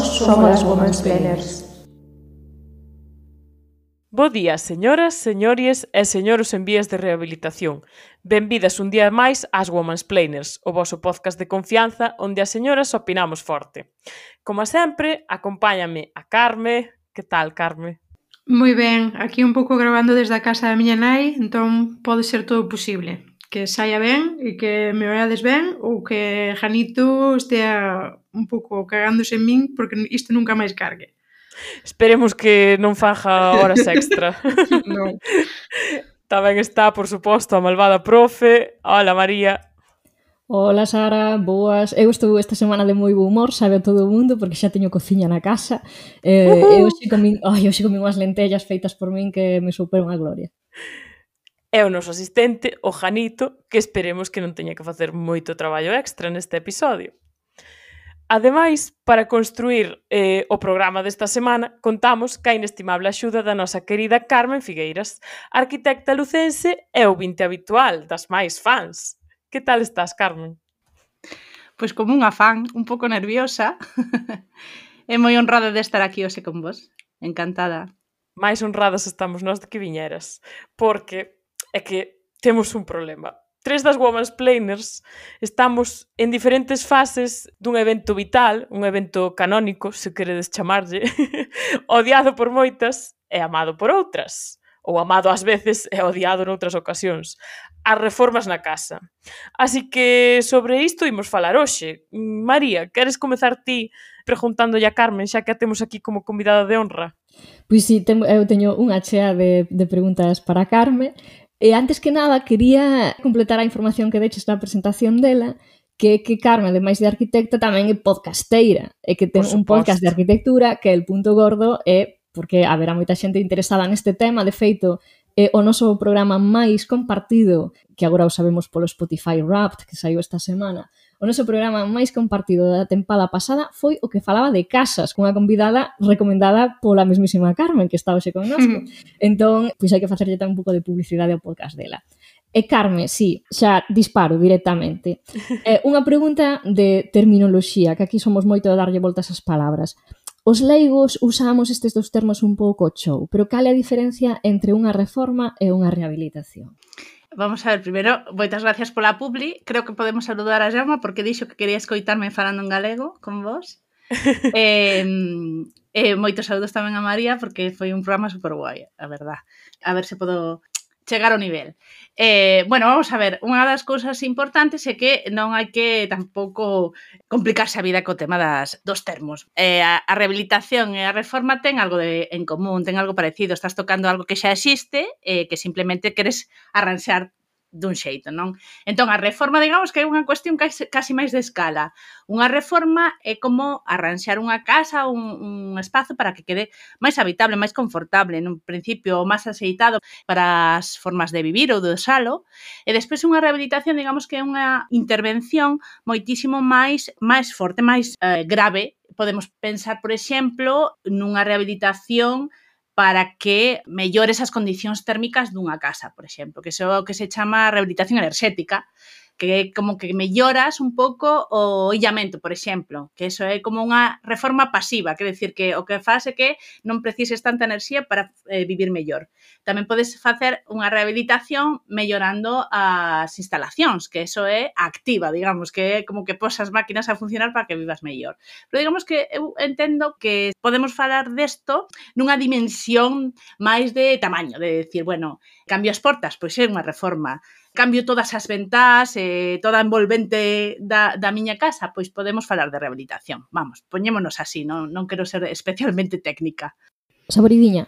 somos as Womansplainers. Bo día, señoras, señores e señoros en vías de rehabilitación. Benvidas un día máis ás Womansplainers, o voso podcast de confianza onde as señoras opinamos forte. Como sempre, acompáñame a Carme. Que tal, Carme? Moi ben, aquí un pouco grabando desde a casa da miña nai, entón pode ser todo posible. Que saia ben e que me oiades ben ou que Janito estea un pouco cagándose en min porque isto nunca máis cargue. Esperemos que non faja horas extra. Non. Tamén está, por suposto, a malvada profe. Hola, María. Hola Sara, boas. Eu estou esta semana de moi bo humor, sabe a todo o mundo, porque xa teño cociña na casa. E hoxe comín unhas lentellas feitas por min que me superan a gloria. É o noso asistente, o Janito, que esperemos que non teña que facer moito traballo extra neste episodio. Ademais, para construir o programa desta semana, contamos ca inestimable axuda da nosa querida Carmen Figueiras, arquitecta lucense e ouvinte habitual das máis fans. Que tal estás, Carmen? Pois como unha fan, un pouco nerviosa. É moi honrada de estar aquí hoxe con vos. Encantada. Máis honradas estamos nós de que viñeras, porque é que temos un problema. Tres das Womansplainers estamos en diferentes fases dun evento vital, un evento canónico, se queredes chamarlle, odiado por moitas e amado por outras, ou amado ás veces e odiado noutras ocasións. As reformas na casa. Así que sobre isto imos falar hoxe. María, queres comezar ti preguntándolle a Carmen, xa que a temos aquí como convidada de honra? Pois si, eu teño unha chea de preguntas para Carme. E antes que nada, quería completar a información que deches na presentación dela, que Carme, ademais de arquitecta, tamén é podcasteira, e que ten un podcast de arquitectura que el punto gordo é porque haberá moita xente interesada neste tema. De feito, é o noso programa máis compartido, que agora o sabemos polo Spotify Wrapped, que saiu esta semana. O noso programa máis compartido da tempada pasada foi o que falaba de casas, cunha convidada recomendada pola mesmísima Carmen, que está hoxe connosco. Entón, pois hai que facerlle tamén un pouco de publicidade ao podcast dela. E Carme, sí, xa disparo directamente. Unha pregunta de terminoloxía, que aquí somos moito de darlle voltas ás palabras. Os leigos usamos estes dous termos un pouco chou, pero cal é a diferencia entre unha reforma e unha rehabilitación? Vamos a ver, primeiro, moitas gracias pola publi. Creo que podemos saludar a Jaume porque dixo que quería escoitarme falando en galego con vos. Moitos saludos tamén a María porque foi un programa super guai, a verdad. A ver se podo chegar ao nivel. Bueno, vamos a ver, unha das cousas importantes é que non hai que tampouco complicarse a vida co tema dos termos. A rehabilitación e a reforma ten algo en común, ten algo parecido. Estás tocando algo que xa existe e que simplemente queres arranxar dun xeito, non? Entón, a reforma, digamos que é unha cuestión casi máis de escala. Unha reforma é como arranxar unha casa, un espazo para que quede máis habitable, máis confortable, nun principio máis axeitado para as formas de vivir ou de usalo, e despois unha rehabilitación, digamos que é unha intervención moitísimo máis forte, máis grave. Podemos pensar, por exemplo, nunha rehabilitación para que mellores as condicións térmicas dunha casa, por exemplo, que iso é o que se chama rehabilitación enerxética, que é como que melloras un pouco o illamento, por exemplo, que iso é como unha reforma pasiva, quer decir que o que faz é que non precises tanta enerxía para vivir mellor. Tamén podes facer unha rehabilitación mellorando as instalacións, que iso é activa, digamos, que é como que pos as máquinas a funcionar para que vivas mellor. Pero digamos que eu entendo que podemos falar desto nunha dimensión máis de tamaño, de decir, bueno, cambio as portas, pois é unha reforma. Cambio todas as ventás, toda a envolvente da miña casa, pois podemos falar de rehabilitación. Vamos, poñémonos así, non quero ser especialmente técnica. Saboridiña.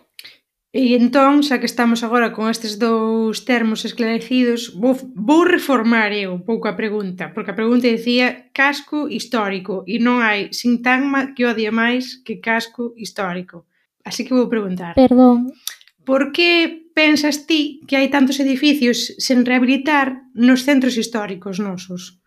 E entón, xa que estamos agora con estes dous termos esclarecidos, vou reformar eu un pouco a pregunta, porque a pregunta dicía casco histórico, e non hai sintagma que odie máis que casco histórico. Así que vou preguntar. Perdón. Por que pensas ti que hai tantos edificios sen rehabilitar nos centros históricos nosos?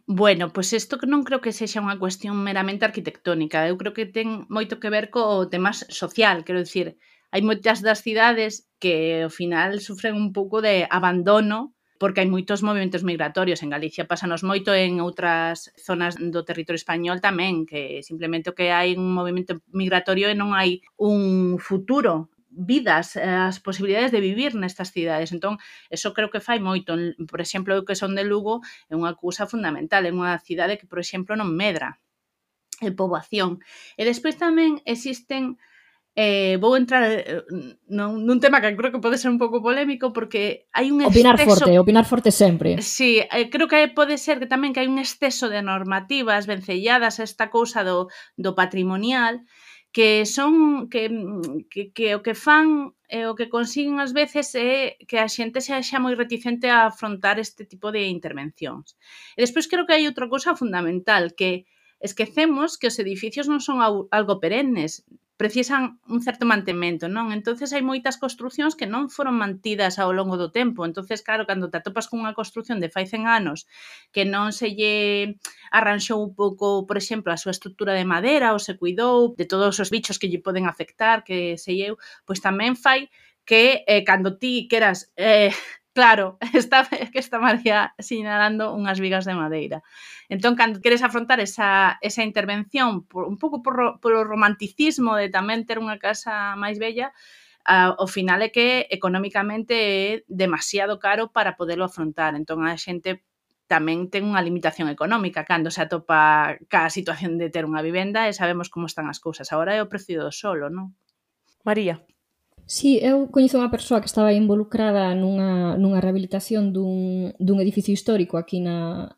Bueno, pois isto que non creo que sexa unha cuestión meramente arquitectónica. Eu creo que ten moito que ver co tema social. Quero dicir, hai moitas das cidades que ao final sufren un pouco de abandono porque hai moitos movimentos migratorios. En Galicia pásanos moito, en outras zonas do territorio español tamén, que simplemente o que hai un movimento migratorio e non hai un futuro, vidas, as posibilidades de vivir nestas cidades. Entón, eso creo que fai moito. Por exemplo, eu que son de Lugo, é unha cousa fundamental, é unha cidade que, por exemplo, non medra en poboación. E despois tamén existen vou entrar nun tema que creo que pode ser un pouco polémico, porque hai un exceso... Opinar forte sempre. Sí, creo que pode ser que tamén que hai un exceso de normativas vencelladas a esta cousa do patrimonial, que son que o que fan e o que consiguen ás veces é que a xente sexa moi reticente a afrontar este tipo de intervencións. E despois creo que hai outra cousa fundamental, que esquecemos que os edificios non son algo perennes, precisan un certo mantemento, non? Entonces hai moitas construcións que non foron mantidas ao longo do tempo. Entonces, claro, cando te atopas con unha construción de fai 100 anos que non se lle arranxou un pouco, por exemplo, a súa estrutura de madera ou se cuidou de todos os bichos que lle poden afectar, que sei eu, pois tamén fai que cando ti queras... Claro, está María sinalando unhas vigas de madeira. Entón, cando queres afrontar esa intervención un pouco polo romanticismo de tamén ter unha casa máis bella, ao final é que económicamente é demasiado caro para podelo afrontar. Entón, a xente tamén ten unha limitación económica cando se atopa ca situación de ter unha vivenda e sabemos como están as cousas. Agora é o precio do solo, non? María. Sí, eu coñezo unha persoa que estaba involucrada nunha rehabilitación dun edificio histórico aquí na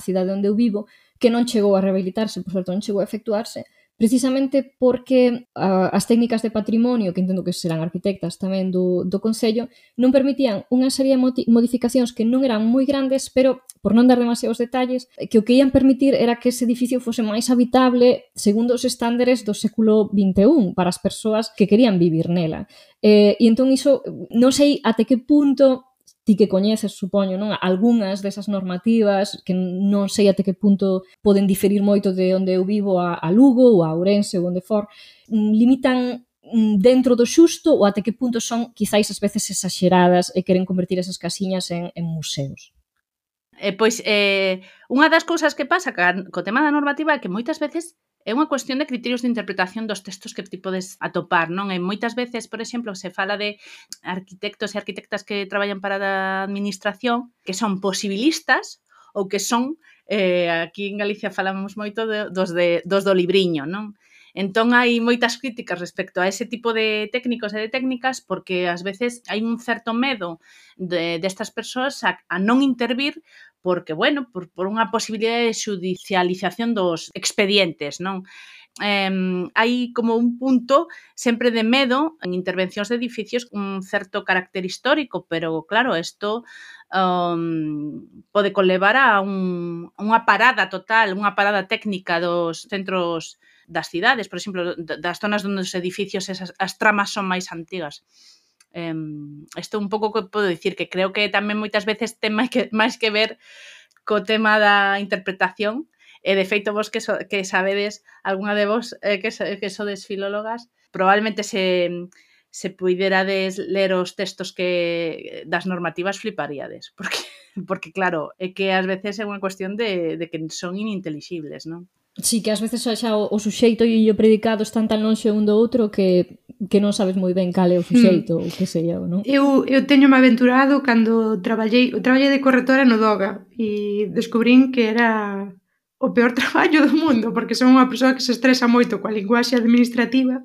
cidade onde eu vivo, que non chegou a rehabilitarse, por certo, non chegou a efectuarse, precisamente porque as técnicas de patrimonio, que entendo que serán arquitectas tamén do Concello, non permitían unha serie de modificacións que non eran moi grandes, pero, por non dar demasiados detalles, que o que ian permitir era que ese edificio fose máis habitable segundo os estándares do século XXI para as persoas que querían vivir nela. E entón iso, non sei até que punto ti que coñeces, supoño, non? Algúnas desas normativas que non sei até que punto poden diferir moito de onde eu vivo a Lugo ou a Ourense ou onde for, limitan dentro do xusto ou até que punto son quizáis ás veces exaxeradas e queren convertir esas casiñas en museos. Pois, unha das cousas que pasa co tema da normativa é que moitas veces é unha cuestión de criterios de interpretación dos textos que ti podes atopar, non? E moitas veces, por exemplo, se fala de arquitectos e arquitectas que traballan para a administración que son posibilistas ou que son, aquí en Galicia falamos moito dos do libriño, non? Entón, hai moitas críticas respecto a ese tipo de técnicos e de técnicas porque ás veces hai un certo medo destas persoas a non intervir porque, bueno, por unha posibilidade de xudicialización dos expedientes, non? Hai como un punto sempre de medo en intervencións de edificios con un certo carácter histórico, pero, claro, isto pode conlevar a unha parada total, unha parada técnica dos centros das cidades, por exemplo, das zonas onde os edificios, as tramas son máis antigas. Isto un pouco que podo dicir, que creo que tamén moitas veces ten máis que ver co tema da interpretación, e de feito vos que sabedes, algunha de vos que sodes filólogas, probablemente se puiderades ler os textos das normativas fliparíades, porque claro, é que ás veces é unha cuestión de que son inintelixibles, non? Sí, que ás veces xa o suxeito e o predicado están tan lonxe un do outro que non sabes moi ben cal é o suxeito ou que sei eu, non? Eu teño-me aventurado cando traballei de corretora no Doga e descubrín que era o peor traballo do mundo porque son unha persoa que se estresa moito coa linguaxe administrativa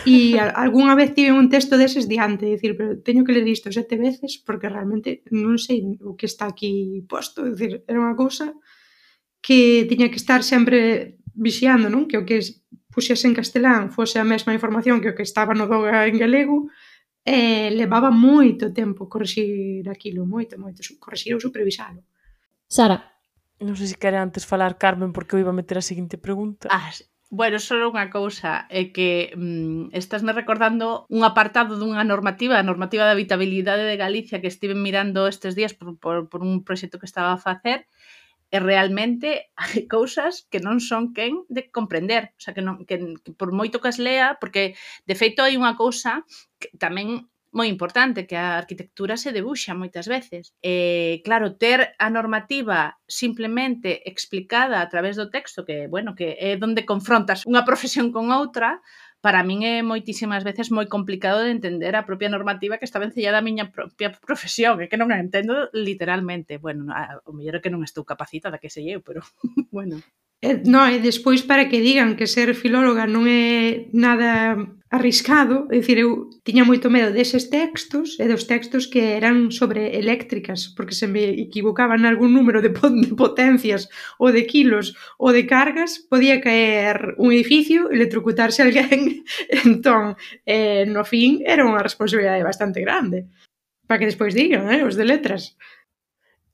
e algunha vez tive un texto deses diante, dicir, pero teño que ler isto 7 veces porque realmente non sei o que está aquí posto, dicir, era unha cousa que tiña que estar sempre vixiando, non? Que o que puxese en castelán fose a mesma información que o que estaba no Doga en galego, e levaba moito tempo corrixir aquilo, moito, corrixir ou supervisalo. Sara. Non sei se quere antes falar Carmen porque eu iba a meter a seguinte pregunta. Bueno, só unha cousa, é que estásme recordando un apartado dunha normativa, a normativa de habitabilidade de Galicia que estive mirando estes días por un proxecto que estaba a facer, e realmente hai cousas que non son quen de comprender, o sea, que por moito que as lea, porque de feito hai unha cousa que tamén moi importante, que a arquitectura se debuxa moitas veces. Claro, ter a normativa simplemente explicada a través do texto, que, bueno, que é onde confrontas unha profesión con outra, para min é moitísimas veces moi complicado de entender a propia normativa que está vencellada a miña propia profesión, é que non a entendo literalmente. Bueno, o mellor é que non estou capacitada, que sei eu, pero bueno. No, e despois para que digan que ser filóloga non é nada arriscado, é dicir, eu tiña moito medo deses textos e dos textos que eran sobre eléctricas, porque se me equivocaban algún número de potencias ou de kilos ou de cargas, podía caer un edificio, electrocutarse alguén, entón, no fin, era unha responsabilidade bastante grande. Para que despois digan, os de letras.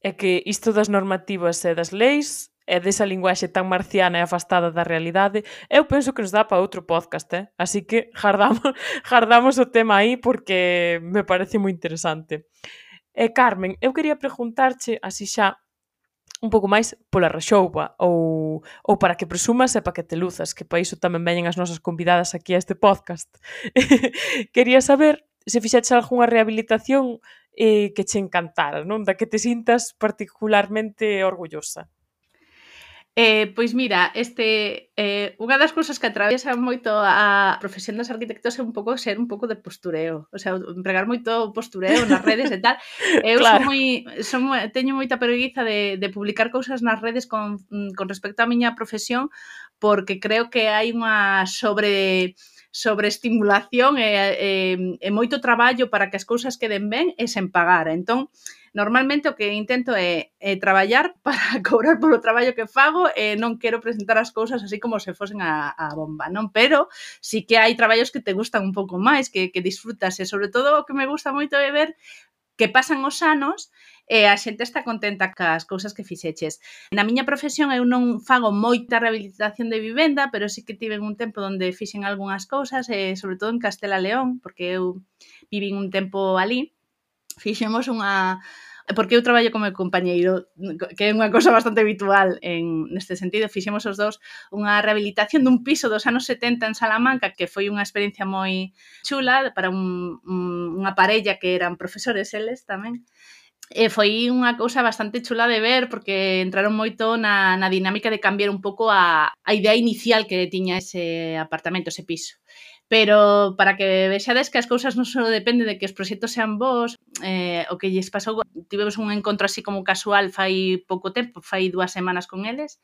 É que isto das normativas e das leis e desa linguaxe tan marciana e afastada da realidade, eu penso que nos dá para outro podcast, así que jardamos o tema aí porque me parece moi interesante. Carmen, eu quería preguntarche, así xa, un pouco máis pola rexoupa ou para que presumas e para que te luzas, que para iso tamén veñen as nosas convidadas aquí a este podcast. Quería saber se fixeches algunha rehabilitación que che encantara, non? Da que te sintas particularmente orgullosa. Pois mira, unha das cousas que atravesa moito a profesión dos arquitectos é ser un pouco de postureo, o sea, empregar moito postureo nas redes e tal. Eu Claro. teño moita preguiza de publicar cousas nas redes con respecto á miña profesión, porque creo que hai unha sobreestimulación e moito traballo para que as cousas queden ben e sen pagar. Entón, normalmente o que intento é traballar para cobrar polo traballo que fago e non quero presentar as cousas así como se fosen a bomba, non? Pero sí que hai traballos que te gustan un pouco máis, que disfrutas, e sobre todo o que me gusta moito é ver que pasan os anos e a xente está contenta cas cousas que fixeches. Na miña profesión eu non fago moita rehabilitación de vivenda, pero sí que tive un tempo onde fixen algunhas cousas, sobre todo en Castela León, porque eu vivín un tempo ali. Fixemos porque eu traballo como compañeiro, que é unha cosa bastante habitual neste sentido, fixemos os dous unha rehabilitación dun piso dos anos 70 en Salamanca, que foi unha experiencia moi chula para unha parella que eran profesores eles tamén. E foi unha cousa bastante chula de ver, porque entraron moito na dinámica de cambiar un pouco a idea inicial que tiña ese apartamento, ese piso. Pero para que vexades que as cousas non só depende de que os proxectos sean bons, o que lles pasou, tivemos un encontro así como casual fai pouco tempo, fai 2 semanas con eles,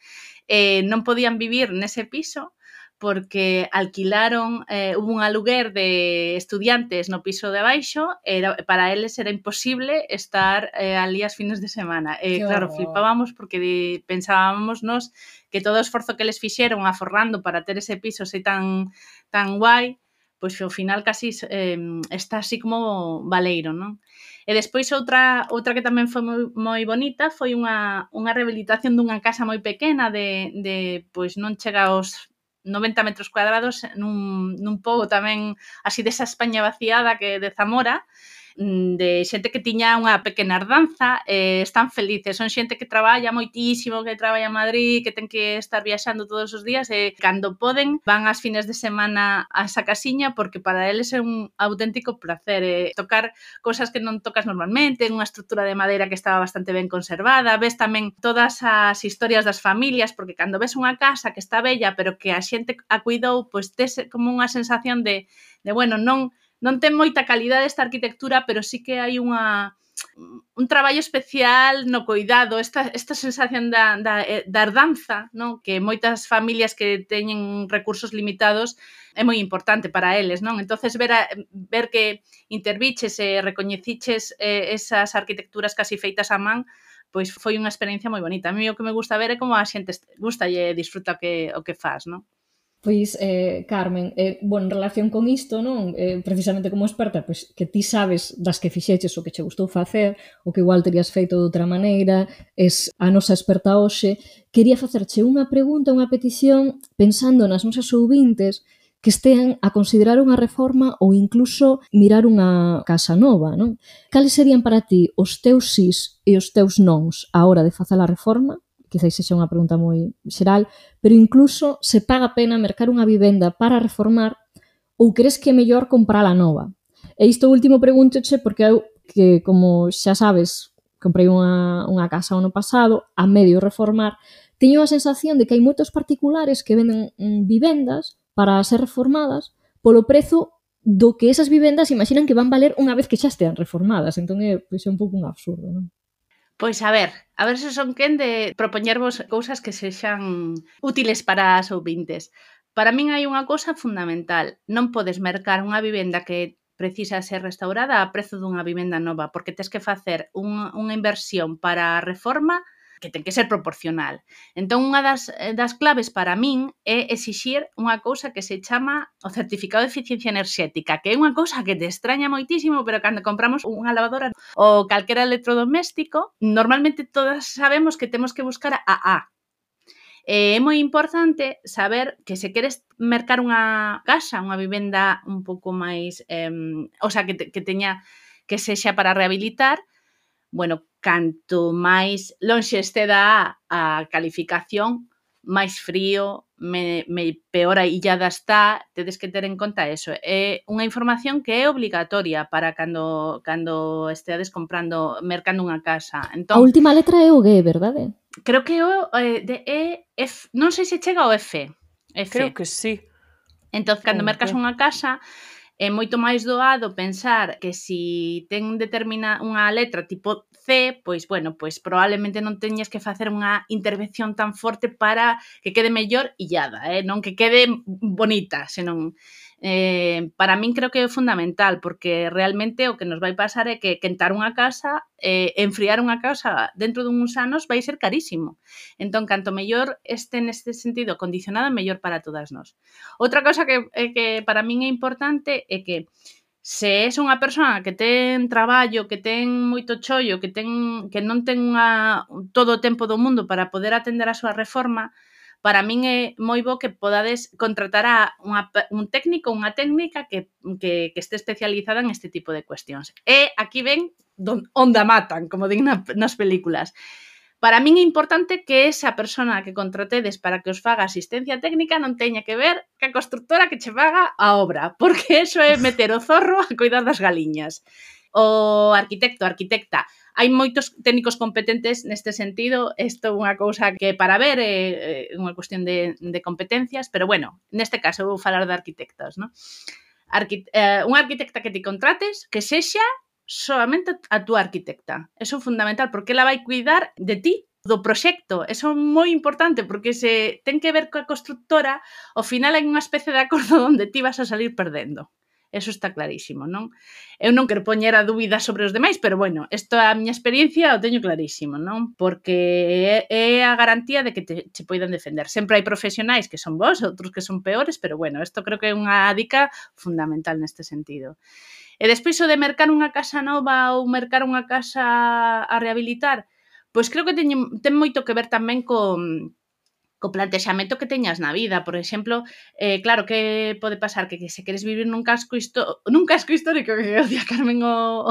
non podían vivir nese piso porque alquilaron, hubo un aluguer de estudiantes no piso de abaixo, para eles era imposible estar ali as fines de semana. Claro, flipábamos porque pensábamos nos que todo o esforzo que les fixeron aforrando para ter ese piso así tan guai, pois ao final casi está así como baleiro, non? E despois outra que tamén foi moi bonita foi unha rehabilitación dunha casa moi pequena de pois non chega aos 90 metros cuadrados nun pobo tamén así desa España vaciada que de Zamora, de xente que tiña unha pequena herdanza, están felices, son xente que traballa moitísimo, que traballa en Madrid, que ten que estar viaxando todos os días e cando poden van ás fines de semana a esa casiña porque para eles é un auténtico placer tocar cosas que non tocas normalmente, unha estrutura de madeira que estaba bastante ben conservada, ves tamén todas as historias das familias, porque cando ves unha casa que está bella pero que a xente a cuidou, pois tes como unha sensación de bueno, non ten moita calidade esta arquitectura, pero sí que hai un traballo especial no cuidado, esta sensación da herdanza, non? Que moitas familias que teñen recursos limitados é moi importante para eles, non? Entonces ver que interviches e recoñeciches esas arquitecturas casi feitas a man, pois foi unha experiencia moi bonita. A mí o que me gusta ver é como a xente gusta e disfruta o que faz, non? Pois, Carmen, en relación con isto, non? Precisamente como experta, pois que ti sabes das que fixeches o que che gustou facer, o que igual terías feito de outra maneira, es a nosa experta hoxe, quería facerche unha pregunta, unha petición, pensando nas nosas ouvintes que estean a considerar unha reforma ou incluso mirar unha casa nova, non? Cales serían para ti os teus sís e os teus nons á hora de facer a reforma? Quizás sexa unha pregunta moi xeral, pero incluso se paga pena mercar unha vivenda para reformar ou crees que é mellor comprala nova? E isto último pregúntoche porque eu, que como xa sabes, comprei unha casa o ano pasado, a medio reformar, teño a sensación de que hai moitos particulares que venden vivendas para ser reformadas polo prezo do que esas vivendas imaginan que van valer unha vez que xa estean reformadas. Entón é un pouco un absurdo, non? Pois a ver se son quen de propoñervos cousas que sexan útiles para as ouvintes. Para min hai unha cousa fundamental. Non podes mercar unha vivenda que precisa ser restaurada a prezo dunha vivenda nova, porque tes que facer unha inversión para a reforma que ten que ser proporcional. Entón, unha das claves para min é exixir unha cousa que se chama o certificado de eficiencia enerxética, que é unha cousa que te extraña moitísimo, pero cando compramos unha lavadora ou calquera electrodoméstico, normalmente todas sabemos que temos que buscar a A. É moi importante saber que se queres mercar unha casa, unha vivenda un pouco máis, o sea, que teña que sexa para rehabilitar, bueno, canto máis lonxe este da a calificación, máis frío, peor aillada está, tedes que ter en conta eso. É unha información que é obligatoria para cando esteades mercando unha casa. A última letra é o G, verdade? Creo que o de F, non sei se chega ao F. Creo que sí. Entón, cando mercas unha casa, é moito máis doado pensar que si ten unha letra tipo C, pois, bueno, pois probablemente non teñas que facer unha intervención tan forte para que quede mellor illada, non que quede bonita, senón... para min creo que é fundamental, porque realmente o que nos vai pasar é que quentar unha casa, enfriar unha casa dentro duns anos vai ser carísimo. Entón, canto mellor este neste sentido condicionada, mellor para todas nós. Outra cosa que para min é importante é que se és unha persoa que ten traballo, que ten moito chollo, que non ten todo o tempo do mundo para poder atender a súa reforma, para min é moi bo que podades contratar a un técnico ou unha técnica que este especializada en este tipo de cuestións. E aquí ven onde a matan, como din nas películas. Para min é importante que esa persona que contratedes para que os faga asistencia técnica non teña que ver ca constructora que che faga a obra, porque eso é meter o zorro a cuidar das galiñas. O arquitecto, arquitecta, hai moitos técnicos competentes neste sentido, isto é unha cousa que para ver é unha cuestión de competencias, pero bueno, neste caso vou falar de arquitectas, non? Unha arquitecta que te contrates que sexa solamente a túa arquitecta. Eso é fundamental, porque ela vai cuidar de ti, do proxecto. Eso é moi importante, porque se ten que ver coa constructora, ao final hai unha especie de acordo onde ti vas a salir perdendo. Eso está clarísimo, non? Eu non quero poñer a dúbida sobre os demais, pero bueno, isto é a miña experiencia, o teño clarísimo, non? Porque é a garantía de que che poidan defender. Sempre hai profesionais que son bons, outros que son peores, pero bueno, isto creo que é unha dica fundamental neste sentido. E despois o de mercar unha casa nova ou mercar unha casa a rehabilitar, pois creo que ten moito que ver tamén co plantexamento que teñas na vida. Por exemplo, claro, que pode pasar que se queres vivir nun casco histórico, que odia Carmen odio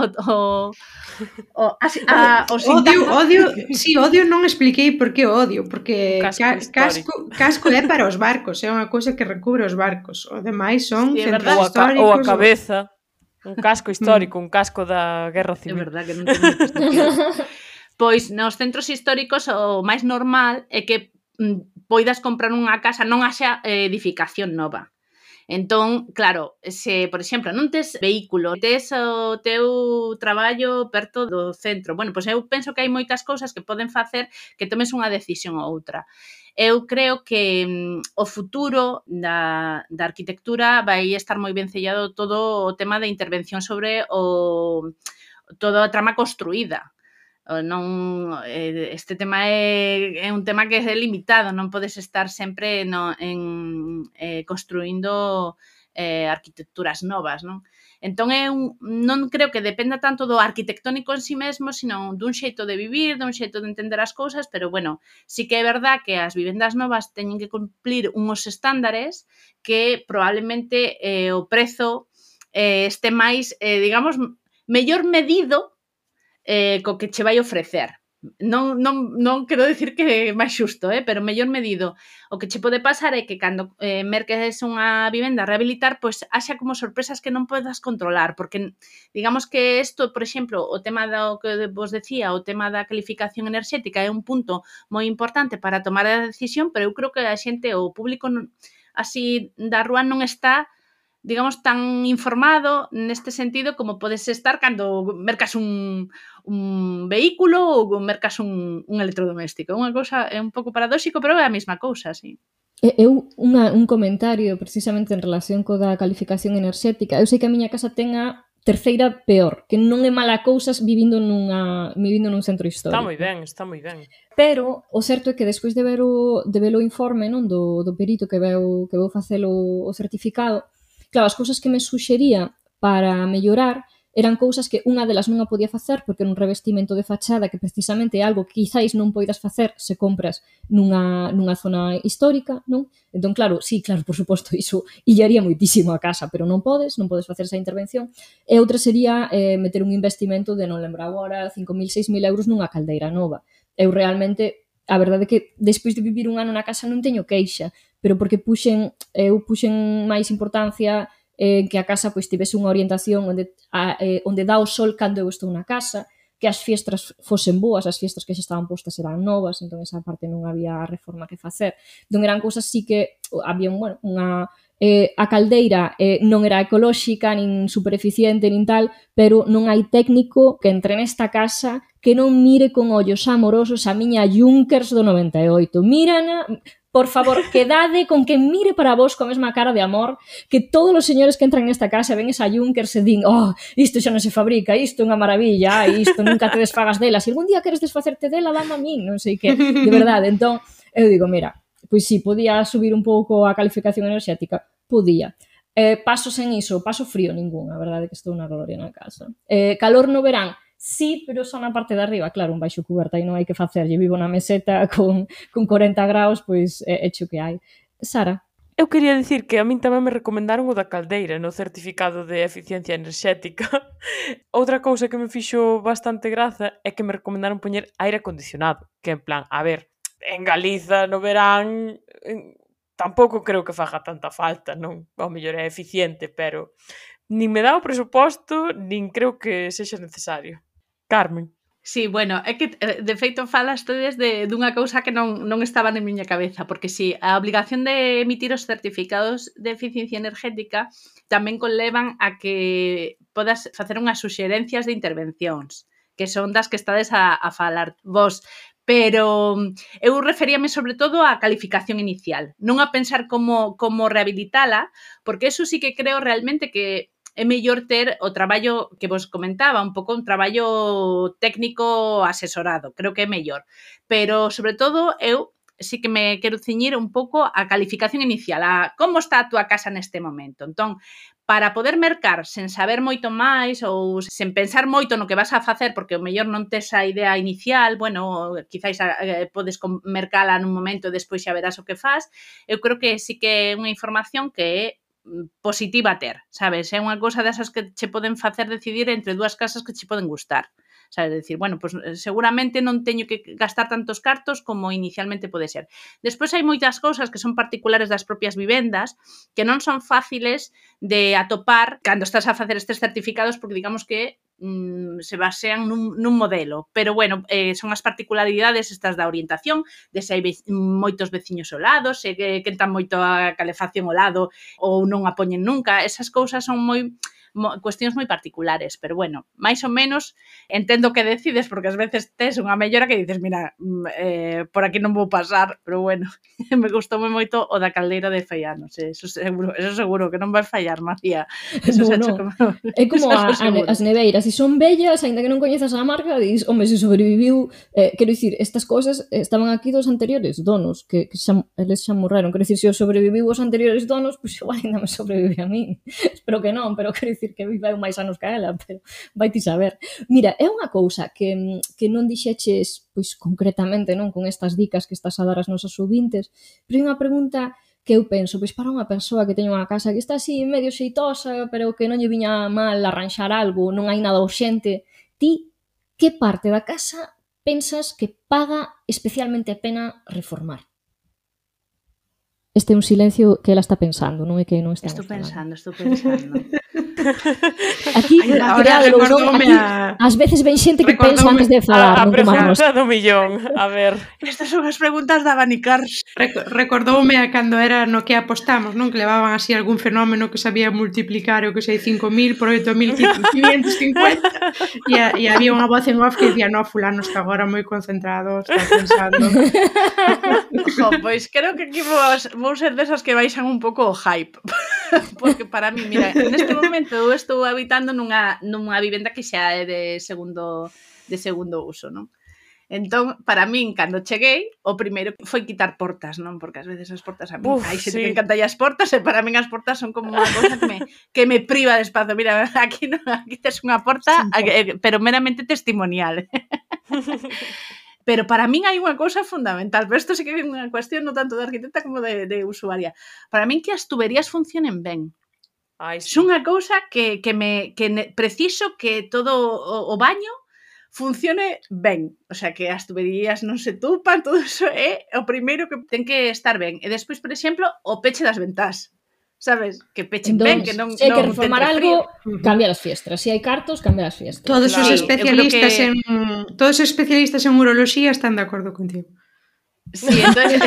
non expliquei por que odio, porque casco é para os barcos, é unha cousa que recubre os barcos. O demais son centros históricos. Ou a cabeza. Un casco histórico, un casco da Guerra Civil. É verdad que non ten moito sentido. Pois nos centros históricos o máis normal é que poidas comprar unha casa, non haxa edificación nova. Entón, claro, se, por exemplo, non tes vehículo, tes o teu traballo perto do centro, bueno, pois eu penso que hai moitas cousas que poden facer que tomes unha decisión ou outra. Eu creo que o futuro da arquitectura vai estar moi ben sellado todo o tema de intervención sobre toda a trama construída. Non, este tema é un tema que é limitado, non podes estar sempre construindo arquitecturas novas, non? Entón, non creo que dependa tanto do arquitectónico en si mesmo, sino dun xeito de vivir, dun xeito de entender as cousas, pero, bueno, sí que é verdad que as vivendas novas teñen que cumplir uns estándares que probablemente o prezo este máis, digamos, mellor medido co que che vai ofrecer. non quero dicir que é máis xusto, pero mellor medido. O que che pode pasar é que cando merques unha vivenda a rehabilitar, pois haxa como sorpresas que non podas controlar, porque digamos que isto, por exemplo, o tema do que vos decía, o tema da calificación enerxética é un punto moi importante para tomar a decisión, pero eu creo que a xente, o público así da rúa non está, digamos, tan informado neste sentido como podes estar cando mercas un vehículo ou mercas un electrodoméstico. É unha cousa, é un pouco paradóxico, pero é a mesma cousa, sí. Eu, un comentario precisamente en relación co da calificación enerxética. Eu sei que a miña casa ten a terceira peor, que non é mala cousas vivindo nun centro histórico. Está moi ben. Pero o certo é que despois de ver o informe, non, do perito que veu facelo o certificado, claro, as cousas que me suxería para mellorar eran cousas que unha delas non a podía facer porque era un revestimento de fachada que precisamente é algo que quizáis non poidas facer se compras nunha zona histórica, non? Entón, claro, por suposto, iso illaría moitísimo a casa, pero non podes facer esa intervención. E outra sería meter un investimento de, non lembro agora, 5.000, 6.000 euros nunha caldeira nova. Eu realmente, a verdade é que despois de vivir un ano na casa non teño queixa, pero porque puxen máis importancia que a casa pois tivese unha orientación onde dá o sol cando eu estou na casa, que as fiestras fosen boas, as fiestras que xa estaban postas eran novas, entón esa parte non había reforma que facer. Entón eran cousas así que había a caldeira non era ecolóxica, nin super eficiente, nin tal, pero non hai técnico que entre nesta casa que non mire con ollos amorosos a miña Junkers do 98. Mírana, por favor, quedade con que mire para vos coa mesma cara de amor que todos os señores que entran nesta casa ven esa Junkers e din, isto xa non se fabrica, isto é unha maravilla, isto nunca te desfagas dela, se algún día queres desfacerte dela, dame a min, non sei que, de verdade. Entón, eu digo, mira, pois si, podía subir un pouco a calificación enerxética, podía. Paso sen iso, paso frío ningún, a verdade é que estou na gloria na casa. Calor no verán, sí, pero só na parte de arriba, claro, un baixo cuberta e non hai que facerlle, vivo na meseta con 40 graus, pois é cho que hai. Sara? Eu quería dicir que a min tamén me recomendaron o da caldeira no certificado de eficiencia enerxética. Outra cousa que me fixo bastante graza é que me recomendaron poñer aire acondicionado, que en plan, a ver, en Galiza no verán tampouco creo que faga tanta falta, non? Ao mellor é eficiente, pero nin me dá o presuposto, nin creo que sexa necesario. Carmen. Sí, bueno, é que de feito falas todes dunha cousa que non estaba na miña cabeza, porque si, a obligación de emitir os certificados de eficiencia energética tamén conlevan a que podas facer unhas suxerencias de intervencións, que son das que estades a falar vos, pero eu referíame sobre todo á calificación inicial, non a pensar como rehabilitala, porque eso sí que creo realmente que é mellor ter o traballo que vos comentaba, un pouco un traballo técnico asesorado, creo que é mellor. Pero, sobre todo, eu sí que me quero ciñir un pouco a calificación inicial, a como está a túa casa neste momento. Entón, para poder mercar sen saber moito máis ou sen pensar moito no que vas a facer, porque o mellor non tes a idea inicial, bueno, quizáis podes mercala nun momento e despois xa verás o que faz, eu creo que sí que é unha información que é positiva a ter, sabes? É unha cousa desas que che poden facer decidir entre dúas casas que che poden gustar. Sabes, decir, bueno, pues seguramente non teño que gastar tantos cartos como inicialmente pode ser. Despois hai moitas cousas que son particulares das propias vivendas que non son fáciles de atopar cando estás a facer estes certificados porque digamos que se basean nun modelo, pero bueno, son as particularidades estas da orientación, de se hai moitos veciños ao lado, se quentan moito a calefacción ao lado ou non a poñen nunca, esas cousas son cuestións moi particulares, pero bueno, máis ou menos entendo que decides, porque ás veces tes unha mellora que dices, mira, por aquí non vou pasar, pero bueno, me gustoume moito o da caldeira de Feianos, eso seguro que non vai fallar, María. Eso no. É como as neveiras, se son bellas, aínda que non coñezas a marca, dis, home, se sobreviviu, quero dicir, estas cousas estaban aquí dos anteriores donos, que eles xa morreron, quero dicir, se os sobreviviu os anteriores donos, pois igual ainda me sobrevive a mí, espero que non, pero quero dicir que viveu máis anos que ela, pero vai ti saber. Mira, é unha cousa que non dixeches, pois concretamente, non, con estas dicas que estás a dar ás nosas ouvintes, pero é unha pregunta que eu penso, pois para unha persoa que teña unha casa que está así medio xeitosa, pero que non lle viña mal arranxar algo, non hai nada urxente, ti que parte da casa pensas que paga especialmente a pena reformar? Este é un silencio que ela está pensando, non é que non estamos falando. Estou pensando. Aquí, Ahora recordoume ás veces ven xente que pensa antes de falar, A non como a nós. pregunta do millón. A ver. Estas son as preguntas da Vanicars. Recordoume a cando era no que apostamos, non? Que levaban así algún fenómeno que sabía multiplicar o que sei 5.000 por 8.550 e había unha voz en off que dicía no, fulano está agora moi concentrado, está pensando. Pois creo que aquí vou ser desas que baixan un pouco o hype. Porque para mí, mira, neste momento eu estou habitando nunha vivenda que xa é de segundo uso, non? Entón, para min, cando cheguei, o primeiro foi quitar portas, non? Porque ás veces as portas a mí, hai xente que encanta as portas, e para min as portas son como unha cosa que me priva de espazo. Mira, aquí tes unha porta, pero meramente testimonial. Pero para min hai unha cousa fundamental, pero isto sí que é unha cuestión non tanto de arquitecta como de usuaria. Para min que as tuberías funcionen ben. Ai, sí. É unha cousa que preciso que todo o baño funcione ben. O sea, que as tuberías non se tupan, todo iso é o primeiro que ten que estar ben. E despois, por exemplo, o peche das ventás. Sabes? Que pechen ben, que non se hai que reformar algo, cambia as fiestras. Se hai cartos, cambia as fiestras. Todos os especialistas en uroloxía están de acordo contigo. Sí, entonces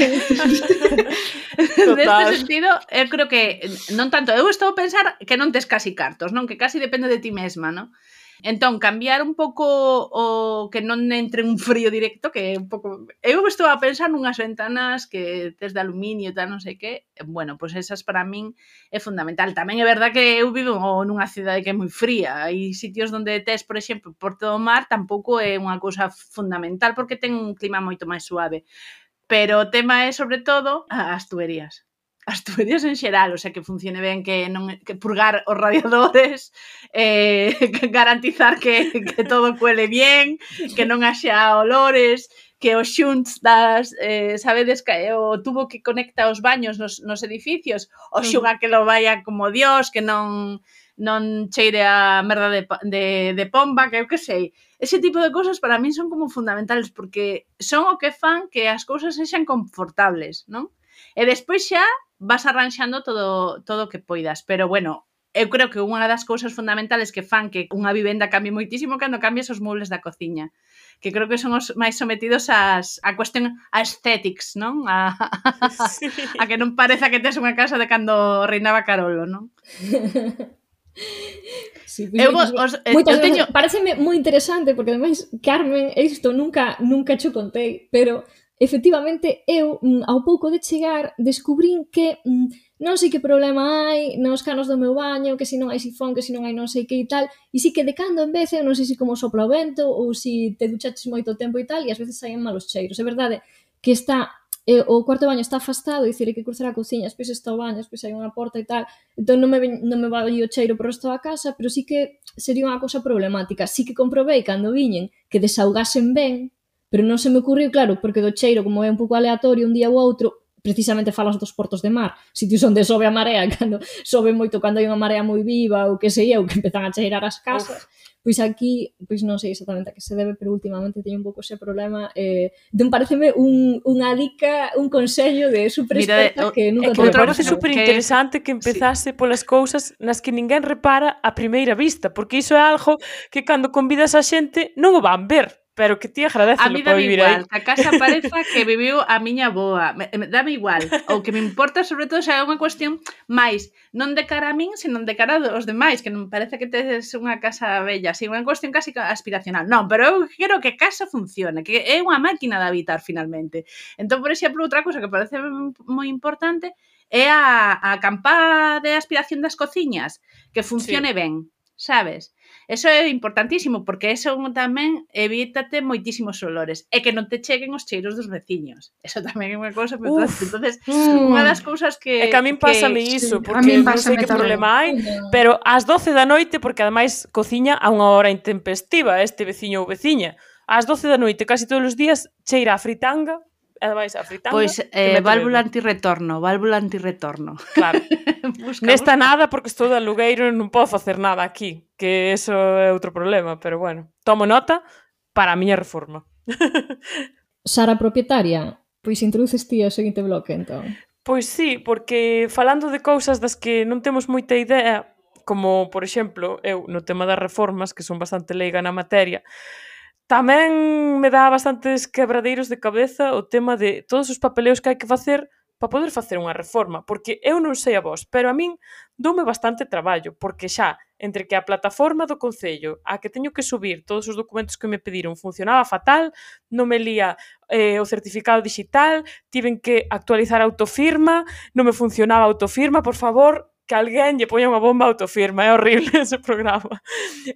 neste sentido, eu creo que non tanto, eu estou a pensar que non tes casi cartos, non? Que casi depende de ti mesma, non? Entón, cambiar un pouco o que non entre un frío directo, que é un pouco... Eu estou a pensar nunhas ventanas que tes de aluminio e tal, non sei que. Bueno, pois esas para min é fundamental. Tamén é verdad que eu vivo nunha cidade que é moi fría. Hai sitios onde tes, por exemplo, Porto do Mar, tampouco é unha cousa fundamental porque ten un clima moito máis suave. Pero o tema é, sobre todo, as tuberías. As tuberías en xeral, o sea, que funcione ben, que purgar os radiadores, garantizar que todo cuele bien, que non haxa olores, que os xunts das, sabedes, o tubo que conecta os baños nos edificios, o xunga que lo vaya como Dios, que non cheire a merda de pomba, que eu que sei. Ese tipo de cousas para min son como fundamentales, porque son o que fan que as cousas sexan confortables, non? E despois xa vas arranxando todo o que poidas. Pero, bueno, eu creo que unha das cousas fundamentales que fan que unha vivenda cambie moitísimo cando cambias os muebles da cociña. Que creo que son os máis sometidos a cuestión a aesthetics, non? A que non pareza que tes unha casa de cando reinaba Carolo, non? Sí, pareceme moi interesante porque ademais, Carmen, isto nunca cho contei, pero efectivamente eu ao pouco de chegar descubrín que non sei que problema hai nos canos do meu baño, que se non hai sifón, que se non hai non sei que e tal, e si que de cando en vez eu non sei se como sopla o vento ou se te duchaches moito tempo e tal, e ás veces saen malos cheiros. É verdade que está o cuarto de baño está afastado, dicir, hai que cruzar a cociña, despois está o baño, despois hai unha porta e tal, entón non me vai o cheiro por resto da casa, pero sí que sería unha cousa problemática. Sí que comprobei cando viñen que desaugasen ben, pero non se me ocurriu, claro, porque do cheiro, como é un pouco aleatorio un día ou outro, precisamente falas dos portos de mar, sitios onde sobe a marea, cando sobe moito, cando hai unha marea moi viva, ou que sei eu, que empezan a cheirar as casas, pois aquí, pois non sei exactamente a que se debe, pero últimamente teño un pouco ese problema, entón pareceme unha dica, un consello de superexperta que nunca te parece super interesante que empezase polas cousas nas que ninguén repara a primeira vista, porque iso é algo que cando convidas a xente non o van ver, pero que ti agradecelo para vivir aí. A mí dame igual, que a casa pareza que viviu a miña boa, dame igual, o que me importa sobre todo xa é unha cuestión máis, non de cara a min, senón de cara aos demais, que non me parece que tes unha casa bella, así, unha cuestión casi aspiracional. Non, pero eu quero que a casa funcione, que é unha máquina de habitar finalmente. Entón, por exemplo, outra cousa que parece moi importante é a campá de aspiración das cociñas, que funcione ben, sabes? Eso é importantísimo, porque eso tamén evítate moitísimos olores e que non te cheguen os cheiros dos veciños. Eso tamén é unha cousa moi importante. Entonces, unha das cousas que... É que a min pásame iso, porque non sei que problema hai, pero ás 12 da noite, porque ademais cociña a unha hora intempestiva este veciño ou veciña, ás 12 da noite, casi todos os días, cheira a fritanga, ademais a fritanga... Pois, válvula antirretorno. Claro. Nesta nada, porque estou de alugueiro e non podo facer nada aquí, que eso é outro problema, pero bueno, tomo nota para a miña reforma. Sara, propietaria, pois introduces ti o seguinte bloque, entón. Pois sí, porque falando de cousas das que non temos moita idea, como, por exemplo, eu no tema das reformas, que son bastante leiga na materia, tamén me dá bastantes quebradeiros de cabeza o tema de todos os papeleos que hai que facer para poder facer unha reforma, porque eu non sei a vos, pero a min doume bastante traballo, porque xa, entre que a plataforma do Concello, a que teño que subir todos os documentos que me pediron, funcionaba fatal, non me lía o certificado digital, tiven que actualizar a autofirma, non me funcionaba a autofirma, por favor, que alguén lle poña unha bomba a autofirma, é horrible ese programa.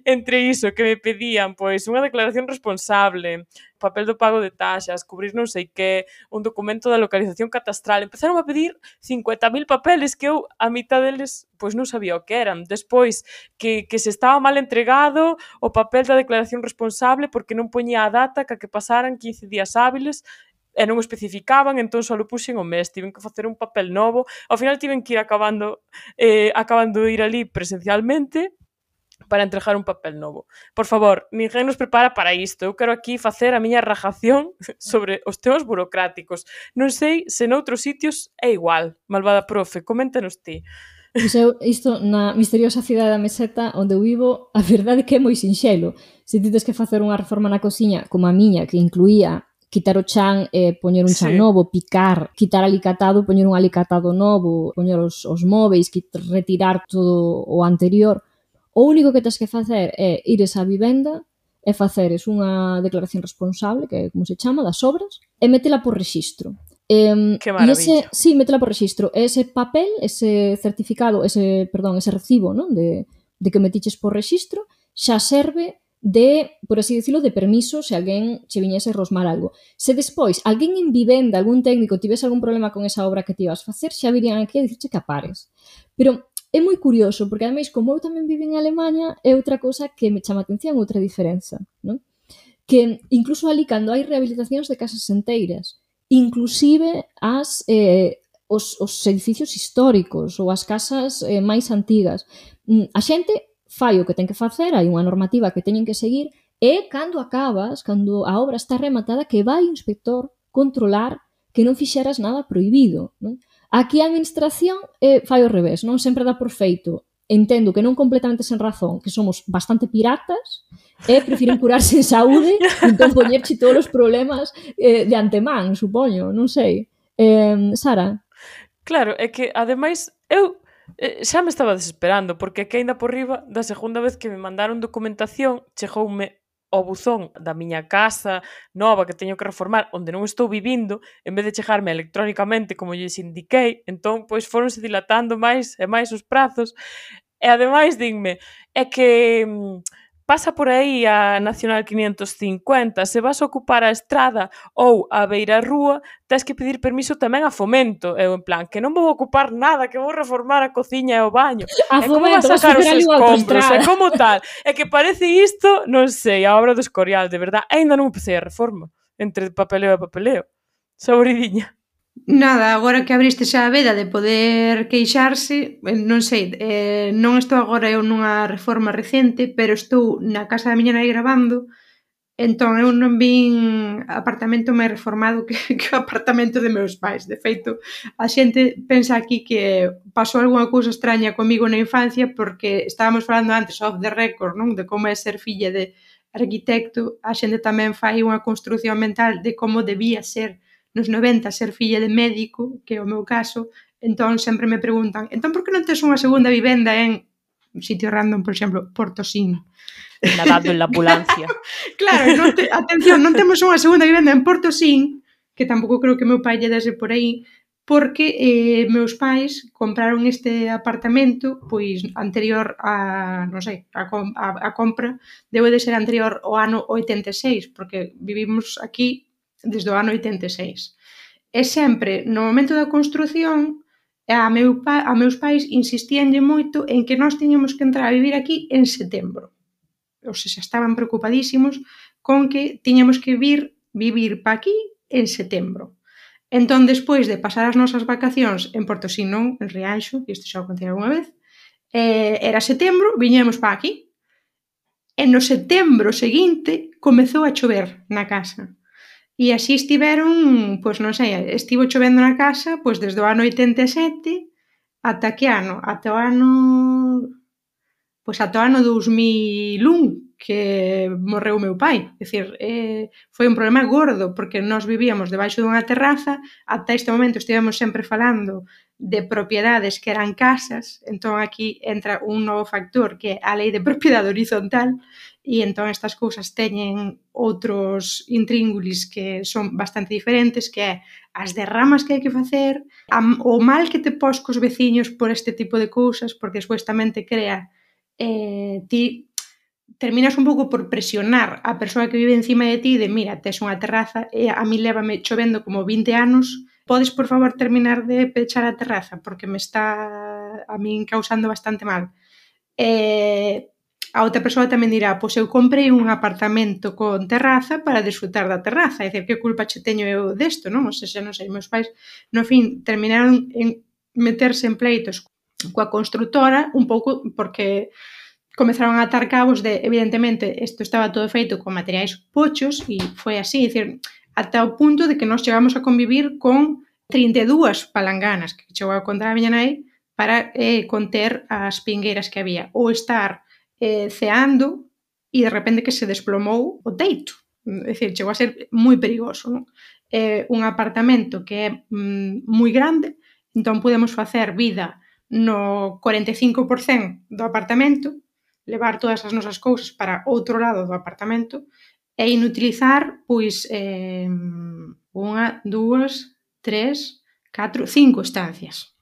Entre iso, que me pedían, pois, unha declaración responsable, papel do pago de taxas, cubrir non sei que, un documento da localización catastral, empezaron a pedir 50.000 papeles que eu, a mitad deles, pois non sabía o que eran. Despois, que se estaba mal entregado o papel da declaración responsable porque non poñía a data que pasaran 15 días hábiles e non o especificaban, entón só lo puxen o mes, tiven que facer un papel novo, ao final tiven que ir acabando de ir ali presencialmente para entregar un papel novo. Por favor, ninguén nos prepara para isto. Eu quero aquí facer a miña rajación sobre os temas burocráticos. Non sei se noutros sitios é igual. Malvada profe, coméntanos ti. Pois eu, isto, na misteriosa cidade da Meseta onde eu vivo, a verdade é que é moi sinxelo. Se ti tes que facer unha reforma na cociña, como a miña, que incluía quitar o chan e poñer un chan novo, picar, quitar alicatado, poñer un alicatado novo, poñer os móveis, retirar todo o anterior. O único que tens que facer é ires á vivenda e faceres unha declaración responsable, que é como se chama, das obras, e metela por rexistro. Que maravilla. Sí, metela por rexistro. Ese papel, ese certificado, ese recibo, non? De que metiches por rexistro, xa serve de, por así decirlo, de permiso se alguén che viñese a rosmar algo. Se despois alguén en vivenda, algún técnico, tivese algún problema con esa obra que ti ibas facer, xa virían aquí a dicirche que apares. Pero é moi curioso, porque ademais, como eu tamén vivo en Alemanha, é outra cousa que me chama a atención, outra diferenza, non? Que incluso ali, cando hai rehabilitacións de casas enteiras, inclusive os edificios históricos ou as casas máis antigas, a xente fai o que ten que facer, hai unha normativa que teñen que seguir, e cando acabas, cando a obra está rematada, que vai o inspector controlar que non fixeras nada prohibido, non? Aquí a administración fai o revés, non sempre dá por feito. Entendo que non completamente sen razón, que somos bastante piratas e prefiren curarse en saúde e entón poñerche todos os problemas de antemán, supoño, non sei. Sara? Claro, é que, ademais, eu xa me estaba desesperando, porque que aínda por riba, da segunda vez que me mandaron documentación, chegoume ao buzón da miña casa nova que teño que reformar, onde non estou vivindo, en vez de chegarme electrónicamente como lles indiquei, entón, pois, foronse dilatando máis e máis os prazos, e ademais dinme, é que pasa por aí a Nacional 550, se vas a ocupar a estrada ou a beirarrúa, tens que pedir permiso tamén a Fomento. Eu, en plan, que non vou ocupar nada, que vou reformar a cociña e o baño. A Fomento, como vas a sacar os escombros? É como tal. É que parece isto, non sei, a obra do Escorial, de verdad. Ainda non empecé a reforma, entre papeleo e papeleo. Saboridinha. Nada, agora que abriste xa a veda de poder queixarse, non sei, non estou agora eu nunha reforma recente, pero estou na casa da miña nai gravando, entón eu non vin apartamento máis reformado que o apartamento de meus pais. De feito, a xente pensa aquí que pasou algunha cousa extraña comigo na infancia porque estábamos falando antes off the record, non? De como é ser filla de arquitecto, a xente tamén fai unha construción mental de como debía ser nos 90 ser filla de médico, que é o meu caso, entón sempre me preguntan, entón por que non tes unha segunda vivenda en un sitio random, por exemplo, Portosín? Nadando en la ambulancia. Claro, atención, non temos unha segunda vivenda en Portosín, que tampouco creo que meu pai lle dese por aí, porque meus pais compraron este apartamento pois anterior a, non sei, a compra debe de ser anterior ao ano 86, porque vivimos aquí desde o ano 86. E sempre, no momento da construción, a meus pais insistíanlle moito en que nós tiñamos que entrar a vivir aquí en setembro. Ou seja, estaban preocupadísimos con que tiñamos que vivir pa aquí en setembro. Entón, despois de pasar as nosas vacacións en Portosín, non, en Rianxo, que isto xa o contei alguna vez, era setembro, viñemos pa aquí. E no setembro seguinte comezou a chover na casa. E así estiveron, pois non sei, estivo chovendo na casa pois desde o ano 87 ata que ano? Ata o ano... Pois ata o ano 2001 que morreu o meu pai. É dicir, foi un problema gordo porque nós vivíamos debaixo dunha terraza, ata este momento estivemos sempre falando de propiedades que eran casas, entón aquí entra un novo factor que é a lei de propiedade horizontal e entón estas cousas teñen outros intríngulis que son bastante diferentes, que é as derramas que hai que facer, o mal que te pos cos veciños por este tipo de cousas, porque despois tamén te crea ti terminas un pouco por presionar a persoa que vive encima de ti de mira, tes unha terraza e a mí lévame chovendo como 20 anos, podes por favor terminar de pechar a terraza porque me está a min causando bastante mal. A outra persoa tamén dirá, pois eu comprei un apartamento con terraza para disfrutar da terraza, é dicir, que culpa che teño eu desto, non? O sea, non sei, meus pais, no fin, terminaron en meterse en pleitos coa construtora un pouco porque comezaron a atar cabos de, evidentemente, isto estaba todo feito con materiais pochos e foi así, é dicir, ata o punto de que nós chegamos a convivir con 32 palanganas que chegou a contar a miña nai para conter as pingueiras que había, ou estar ceando e de repente que se desplomou o teito. É dicir, chegou a ser moi perigoso, non? Un apartamento que é moi grande, entón podemos facer vida no 45% do apartamento, levar todas as nosas cousas para outro lado do apartamento e inutilizar, pois, 1, 2, 3, 4, 5 estancias.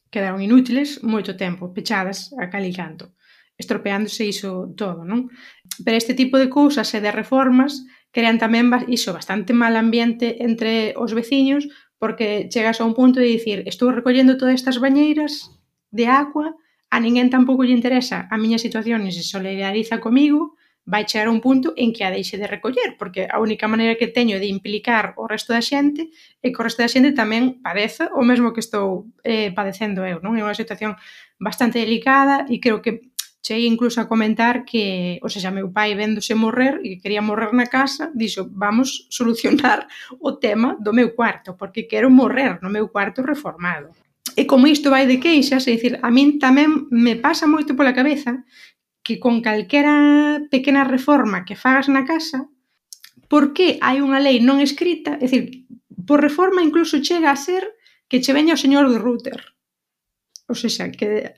Quedaron inútiles moito tempo, pechadas a cal e canto, estropeándose iso todo, non? Pero este tipo de cousas e de reformas crean tamén iso, bastante mal ambiente entre os veciños porque chegas a un punto de dicir estou recollendo todas estas bañeiras de agua, a ninguén tampouco lle interesa a miña situación e se solidariza comigo, vai chegar a un punto en que a deixe de recoller, porque a única maneira que teño de implicar o resto da xente é que o resto da xente tamén padeza o mesmo que estou padecendo eu, non? É unha situación bastante delicada e creo que cheguei incluso a comentar que, o sea, meu pai véndose morrer e que quería morrer na casa, dixo, vamos solucionar o tema do meu cuarto, porque quero morrer no meu cuarto reformado. E como isto vai de queixas, é dicir, a min tamén me pasa moito pola cabeza que con calquera pequena reforma que fagas na casa, por que hai unha lei non escrita, é dicir, por reforma incluso chega a ser que che veña o señor do router. O sea, que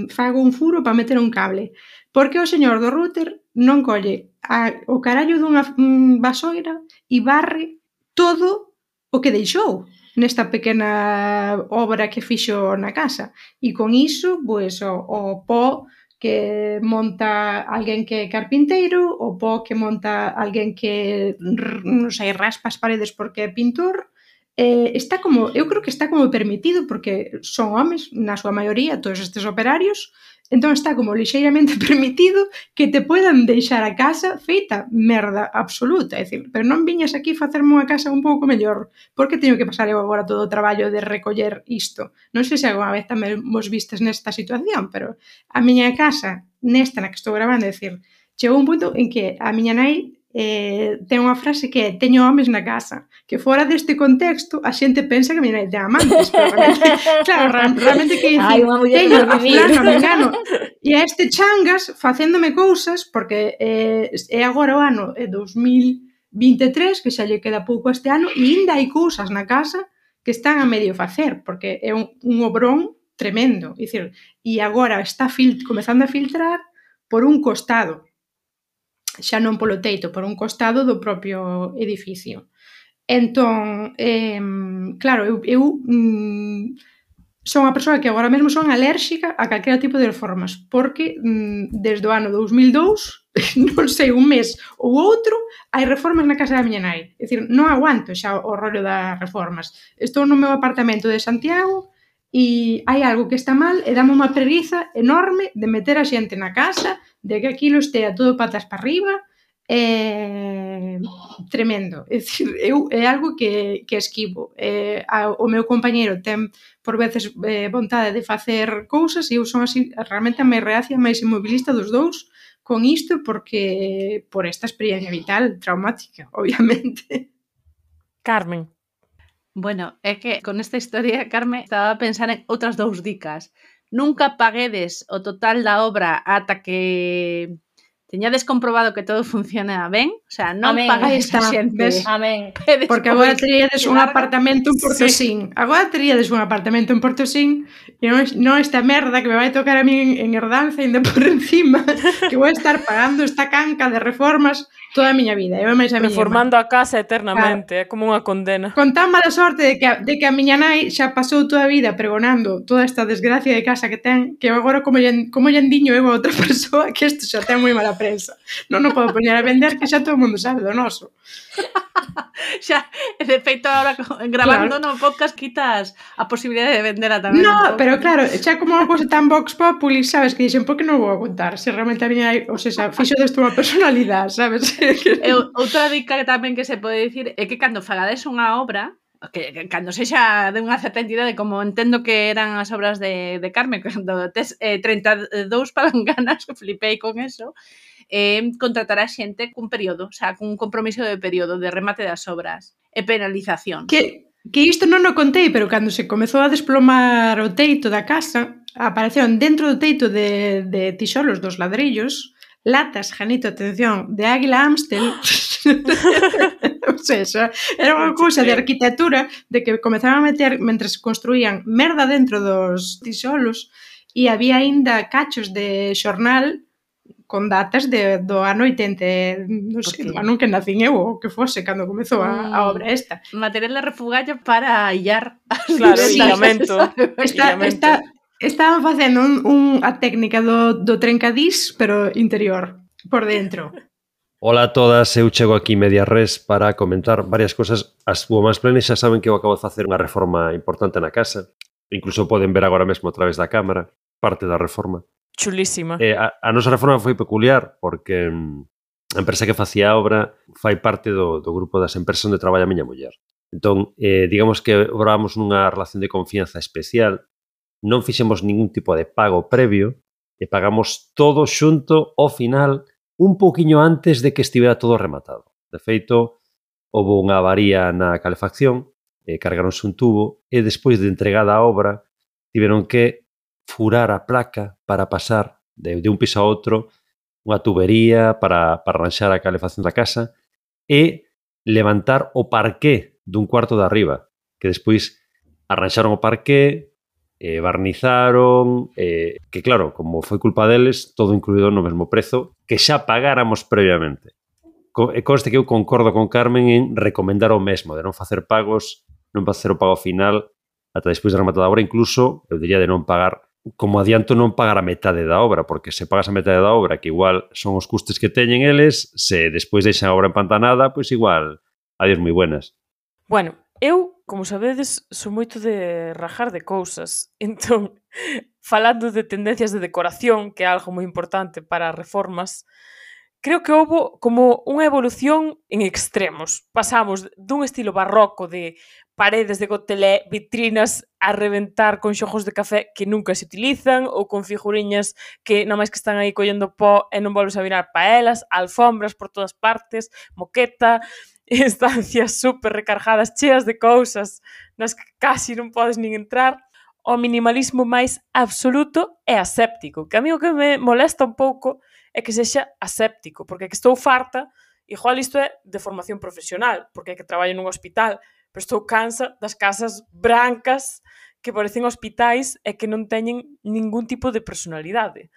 fago un furo para meter un cable. Porque o señor do router non colle o carallo dunha vasoira e barre todo o que deixou nesta pequena obra que fixo na casa. E con iso, pois, o pó que monta alguén que é carpinteiro, o pó que monta alguén que, non sei, raspa as paredes porque é pintor, está como, eu creo que está como permitido porque son homes, na súa maioría, todos estes operarios, entón está como lixeiramente permitido que te poidan deixar a casa feita merda absoluta, é dicir, pero non viñas aquí facerme unha casa un pouco mellor, porque teño que pasar eu agora todo o traballo de recoller isto. Non sei se alguna vez tamén vos vistes nesta situación, pero a miña casa, nesta na que estou gravando, é dicir, chegou un punto en que a miña nai ten unha frase que é teño homes na casa, que fora deste contexto a xente pensa que a miña nai ten amantes, pero realmente, claro, realmente que dicir, teño a fulano, a mengano e a este changas facéndome cousas porque é agora o ano 2023 que xa lle queda pouco este ano e ainda hai cousas na casa que están a medio facer porque é un obrón tremendo, é dicir, e agora está comezando a filtrar por un costado, xa non polo teito, por un costado do propio edificio. Entón, claro, eu son unha persoa que agora mesmo son alérxica a calquera tipo de reformas, porque desde o ano 2002, non sei, un mes ou outro, hai reformas na casa da miña nai. É dicir, non aguanto xa o rollo das reformas. Estou no meu apartamento de Santiago e hai algo que está mal e dame unha preguiza enorme de meter a xente na casa, de que aquilo estea todo patas para arriba, tremendo. É dicir, é algo que esquivo. O meu compañeiro ten por veces vontade de facer cousas e eu son así, realmente a máis reacia, máis inmobilista dos dous con isto porque por esta experiencia vital traumática, obviamente. Carmen. Bueno, é que con esta historia, Carmen, estaba a pensar en outras 2 dicas. Nunca paguedes o total da obra ata que teñades comprobado que todo funciona ben, o sea, non Amén. pagáis a Aí está, xente. ves? Amén. E Porque despois agora teríades que un larga. apartamento en Portosín. Agora teríades un apartamento en Portosín e non esta merda que me vai tocar a mí en herdanza ainda por encima, que vou estar pagando esta canca de reformas toda a miña vida. Eu e máis a miña irmá. Reformando a casa eternamente, é como unha condena. Con tan mala sorte de que a miña nai xa pasou toda a vida pregonando toda esta desgracia de casa que ten, que agora como lle endiño eu a outra persoa que isto xa ten moi mala prensa. Non o podo poñer a vender que xa todo o mundo sabe do noso. Xa, de feito, ahora grabando Claro. no podcast quitas a posibilidade de vendela tamén. No, pero claro, xa como unha cousa tan vox populi, sabes, que dixen, por que non vou a contar? Se realmente a miña, ou sea, fixo desto unha personalidade, sabes? E outra dica que tamén que se pode dicir é que cando fagades unha obra, que cando sexa de unha certa entidade, como entendo que eran as obras de Carmen, cando tes 32 palanganas, flipei con eso, contratar a xente cun período, o sea, cun compromiso de período de remate das obras e penalizacións. Que isto non o contei, pero cando se comezou a desplomar o teito da casa, apareceron dentro do teito de tixolos dos ladrillos latas, Janito, atención, de Águila Amstel. O sea, era unha cousa de arquitectura de que comezaban a meter, mentre se construían, merda dentro dos tixolos e había aínda cachos de xornal con datas do ano 80, non sei, do ano que nacín eu ou que fose cando comezou a obra esta. Material de refugallo para illar as Claro, vivendas. illamento. Estaban facendo a técnica do trencadís, pero interior, por dentro. Ola a todas, eu chego aquí media res para comentar varias cosas. As Women's Planes xa saben que eu acabo de facer unha reforma importante na casa. Incluso poden ver agora mesmo a través da cámara parte da reforma. Chulísima. A nosa reforma foi peculiar porque a empresa que facía a obra fai parte do grupo das empresas onde traballa a miña muller. Entón, digamos que obramos nunha relación de confianza especial, non fixemos ningún tipo de pago previo e pagamos todo xunto ao final un pouquiño antes de que estivera todo rematado. De feito, houve unha avaría na calefacción, cargaronse un tubo e despois de entregada a obra tiveron que furar a placa para pasar de un piso a outro unha tubería para arranxar a calefacción da casa e levantar o parqué dun cuarto de arriba, que despois arranxaron o parqué, barnizaron, que claro, como foi culpa deles, todo incluído no mesmo prezo que xa pagáramos previamente. Conste que eu concordo con Carmen en recomendar o mesmo, de non facer pagos, non facer o pago final ata despois de rematada a obra, incluso, eu diría de non pagar como adianto non pagar a metade da obra, porque se pagas a metade da obra, que igual son os custes que teñen eles, se despois deixan a obra empantanada, pois igual, adiós moi buenas. Bueno, eu, como sabedes, sou moito de rajar de cousas. Entón, falando de tendencias de decoración, que é algo moi importante para as reformas, creo que houve como unha evolución en extremos. Pasamos dun estilo barroco de paredes de gotelé, vitrinas a reventar con xogos de café que nunca se utilizan ou con figuriñas que nada máis que están aí collendo pó e non volves a virar pa elas, alfombras por todas partes, moqueta, estancias super recargadas, cheas de cousas nas que casi non podes nin entrar. O minimalismo máis absoluto é aséptico, que a mí o que me molesta un pouco é que sexa aséptico, porque é que estou farta, igual isto é de formación profesional, porque é que traballo nun hospital, pero estou cansa das casas brancas que parecen hospitais e que non teñen ningún tipo de personalidade.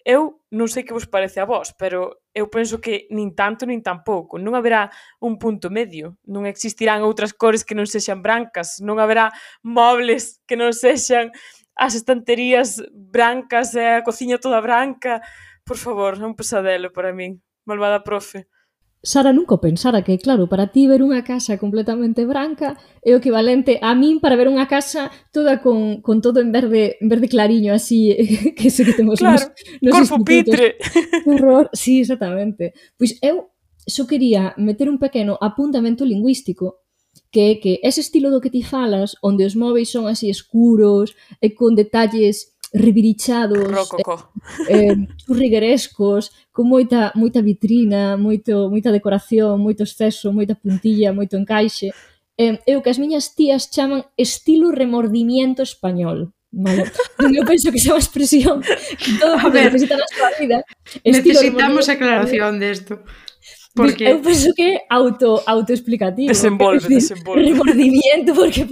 Eu non sei que vos parece a vos, pero eu penso que nin tanto nin tampouco. Non haberá un punto medio. Non existirán outras cores que non sexan brancas. Non haberá mobles que non sexan as estanterías brancas e a cociña toda branca. Por favor, é un pesadelo para min. Malvada profe. Sara nunca o pensara que, claro, para ti ver unha casa completamente branca é o equivalente a min para ver unha casa toda con todo en verde clariño, así, que sei que temos claro, nos corpo pitre. Que horror, sí, exactamente. Pois eu só quería meter un pequeno apuntamento lingüístico, que é que ese estilo do que ti falas, onde os móveis son así escuros e con detalles revirichados, churriguerescos, con moita vitrina, moita decoración, moito exceso, moita puntilla, moito encaixe. é o que as miñas tías chaman estilo remordimiento español. Vale. Eu penso que esa é unha expresión que todo mundo necesita na súa vida. Necesitamos aclaración desto. Porque eu penso que é autoexplicativo. Desenvolve. Remordimiento, porque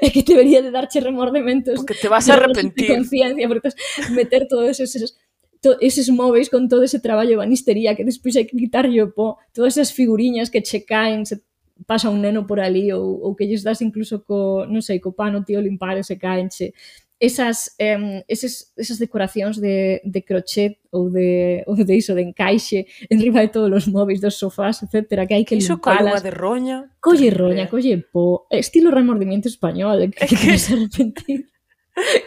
é que debería de darche remordementos. Porque te vas a arrepentir. De conciencia, porque meter todos eses móveis con todo ese traballo de banistería que despois hai que quitarlle o pó, todas esas figuriñas que che caen, se pasa un neno por ali ou que lles das incluso non sei, co pano tío limpar e se caenche. Esas decoracións de crochet ou de iso, de encaixe enriba de todos os móveis dos sofás, etcétera, que hai que iso limpalas. Iso de roña. Colle roña, colle po. Estilo remordimiento español, que te queres arrepentir.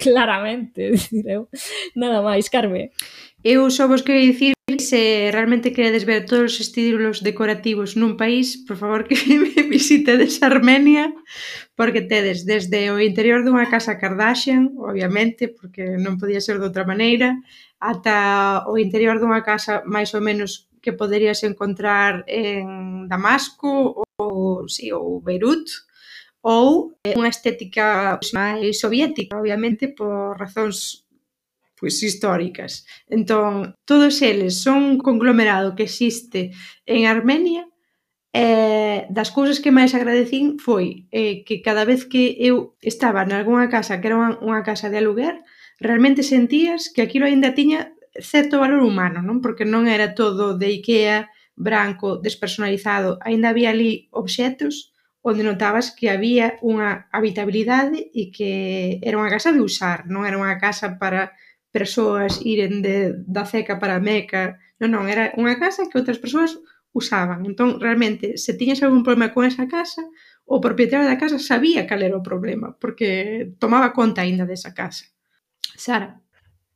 Claramente, dicir eu. Nada máis, Carme. Eu só vos quero dicir se realmente queredes ver todos os estilos decorativos nun país, por favor que me visitedes Armenia, porque tedes desde o interior dunha casa Kardashian, obviamente, porque non podía ser de outra maneira, ata o interior dunha casa máis ou menos que poderías encontrar en Damasco ou Beirut, ou unha estética máis soviética, obviamente, por razóns históricas. Entón, todos eles son un conglomerado que existe en Armenia. Das cousas que máis agradecín foi que cada vez que eu estaba nalgúna casa que era unha casa de aluguer, realmente sentías que aquilo aínda tiña certo valor humano, non? Porque non era todo de Ikea, branco, despersonalizado, aínda había ali obxetos onde notabas que había unha habitabilidade e que era unha casa de usar, non era unha casa para persoas iren da Ceca para a Meca, non, era unha casa que outras persoas usaban. Entón, realmente, se tiñas algún problema con esa casa, o propietario da casa sabía cal era o problema, porque tomaba conta aínda desa casa. Sara.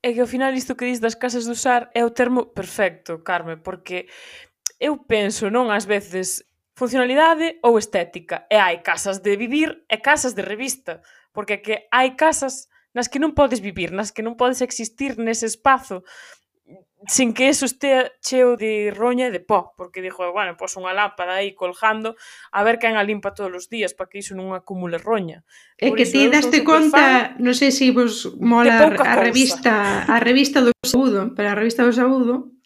É que ao final isto que dis das casas de usar é o termo perfecto, Carme, porque eu penso, non, ás veces, funcionalidade ou estética. E hai casas de vivir e casas de revista, porque que hai casas nas que non podes vivir, nas que non podes existir nese espazo sin que eso estea cheo de roña e de pó, porque dixo, bueno, pois unha lámpada aí colgando a ver quen a limpa todos os días para que iso non acumule roña. É que ti daste conta, non sei se vos mola a revista do Saúdo, pero a revista do Saúdo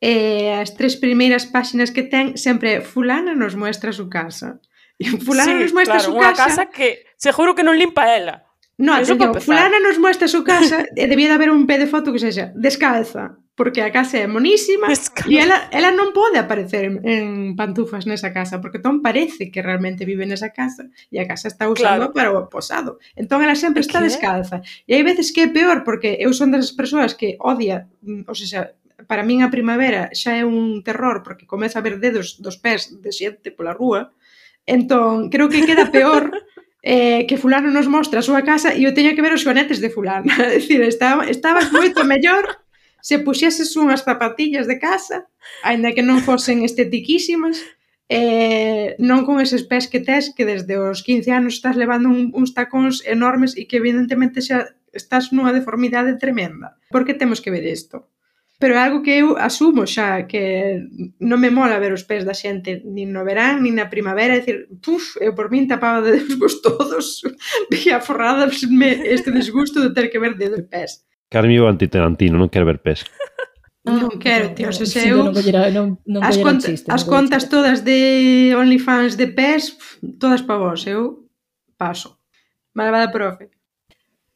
as 3 primeiras páxinas que ten sempre fulana nos muestra a su casa. E fulana nos muestra a su casa. Unha casa que seguro que non limpa ela. No, atención, fulana nos muestra a su casa e debía de haber un pé de foto que sexa descalza, porque a casa é monísima e ela non pode aparecer en pantufas nesa casa, porque entón parece que realmente vive nesa casa e a casa está usando para o posado. Entón ela sempre está descalza. E hai veces que é peor, porque eu son das persoas que odia, ou seja, para min a primavera xa é un terror, porque comeza a ver dedos dos pés de xente pola rúa. Entón, creo que queda peor que fulano nos mostra a súa casa e eu teño que ver os xoanetes de fulano. É dicir, estabas moito mellor se puxeses unhas zapatillas de casa, aínda que non fosen estetiquísimas, non con eses pés que tes, que desde os 15 anos estás levando uns tacóns enormes e que evidentemente xa estás nunha deformidade tremenda. Por que temos que ver isto? Pero é algo que eu asumo xa, que non me mola ver os pés da xente nin no verán, nin na primavera, é dicir, eu por min tapaba de dedos todos e aforradasme este desgusto de ter que ver dedos e pés. Carme o antitarantino, non quero ver pés. Non quero, tío, se eu as contas todas de OnlyFans de pés, todas pa vos, eu paso. Malvada profe.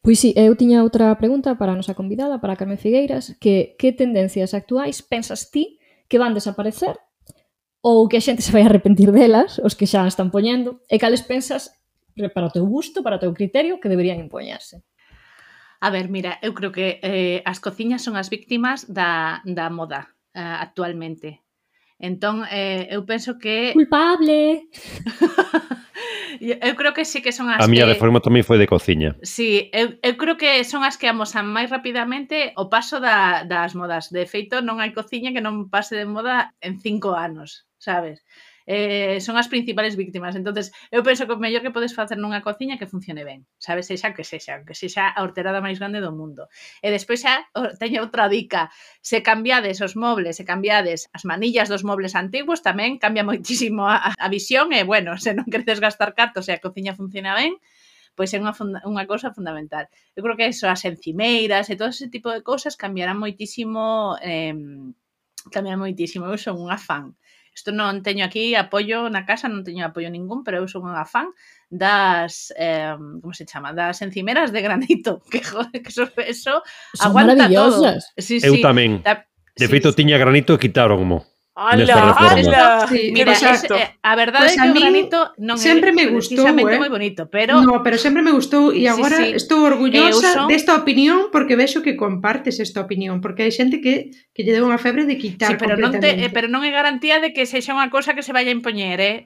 Pois sí, eu tiña outra pregunta para a nosa convidada, para a Carmen Figueiras, que tendencias actuais pensas ti que van desaparecer ou que a xente se vai arrepentir delas, os que xa están poñendo, e cales pensas para o teu gusto, para o teu criterio, que deberían impoñerse? A ver, mira, eu creo que as cociñas son as víctimas da moda actualmente. Entón, eu penso que... Culpable! Eu creo que sí que son as a miña que... reforma tamén foi de cociña. Sí, eu creo que son as que amosan máis rapidamente o paso das modas. De feito, non hai cociña que non pase de moda en 5 anos, sabes? son as principales víctimas. Entonces, eu penso que o mellor que podes facer nunha cociña é que funcione ben, sabes, sexa que sexa a horterada máis grande do mundo. E despois xa teño outra dica, se cambiades os mobles, se cambiades as manillas dos mobles antigos, tamén cambia moitísimo a visión e, bueno, se non queredes gastar cartos e a cociña funciona ben, pois é unha cousa fundamental. Eu creo que eso, as encimeiras e todo ese tipo de cousas cambiarán moitísimo, eu son unha fan. Isto non teño aquí apoio na casa, non teño apoio ningún, pero eu son unha fan das, como se chama? Das encimeras de granito, que joder, que eso Son aguanta todo. maravillosas. Sí, Eu tamén. De feito, tiña granito e quitáronmo. ¡Hala! Sí, Mira, exacto. a verdade Pues é a que o min granito non sempre é me gustou, precisamente moi bonito, pero No, pero sempre me gustou e agora sí. estou orgullosa Eu son- desta opinión porque vexo que compartes esta opinión, porque hai xente que lle deu unha febre de quitar sí, pero completamente. pero non é garantía de que sexa unha cousa que se vaya a impoñer,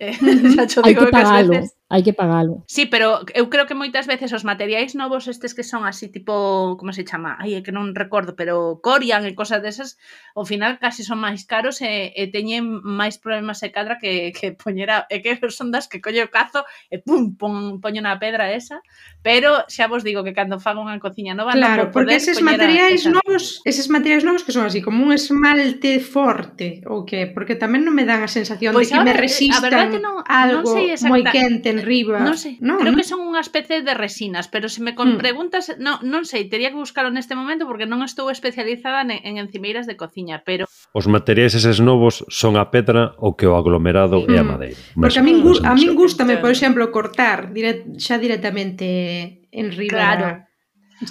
Xa cho Hai digo que pagalo, ás veces. hai que pagalo. Sí, pero eu creo que moitas veces os materiais novos estes que son así tipo, como se chama? Ai, é que non recordo, pero Corian e cosas desas, ao final casi son máis caros e teñen máis problemas se cadra que poñera, é que son das que colle o cazo e pum, poño na pedra esa, pero xa vos digo que cando fago unha cociña nova Claro, non vou porque poder eses poñer materiais novos que son así como un esmalte forte ou que, porque tamén non me dan a sensación Pois de que me ahora, a resistan verdade que non algo sei moi exacta- quente en riba. Non sei, creo que son unha especie de resinas, pero se me preguntas, non sei, tería que buscalo neste momento porque non estou especializada en encimeiras de cociña, pero Os materiais eses novos son a pedra ou que o aglomerado e a madeira. Porque a min Mesmo. gústame, por Entendo. exemplo, cortar xa directamente en riba. Claro.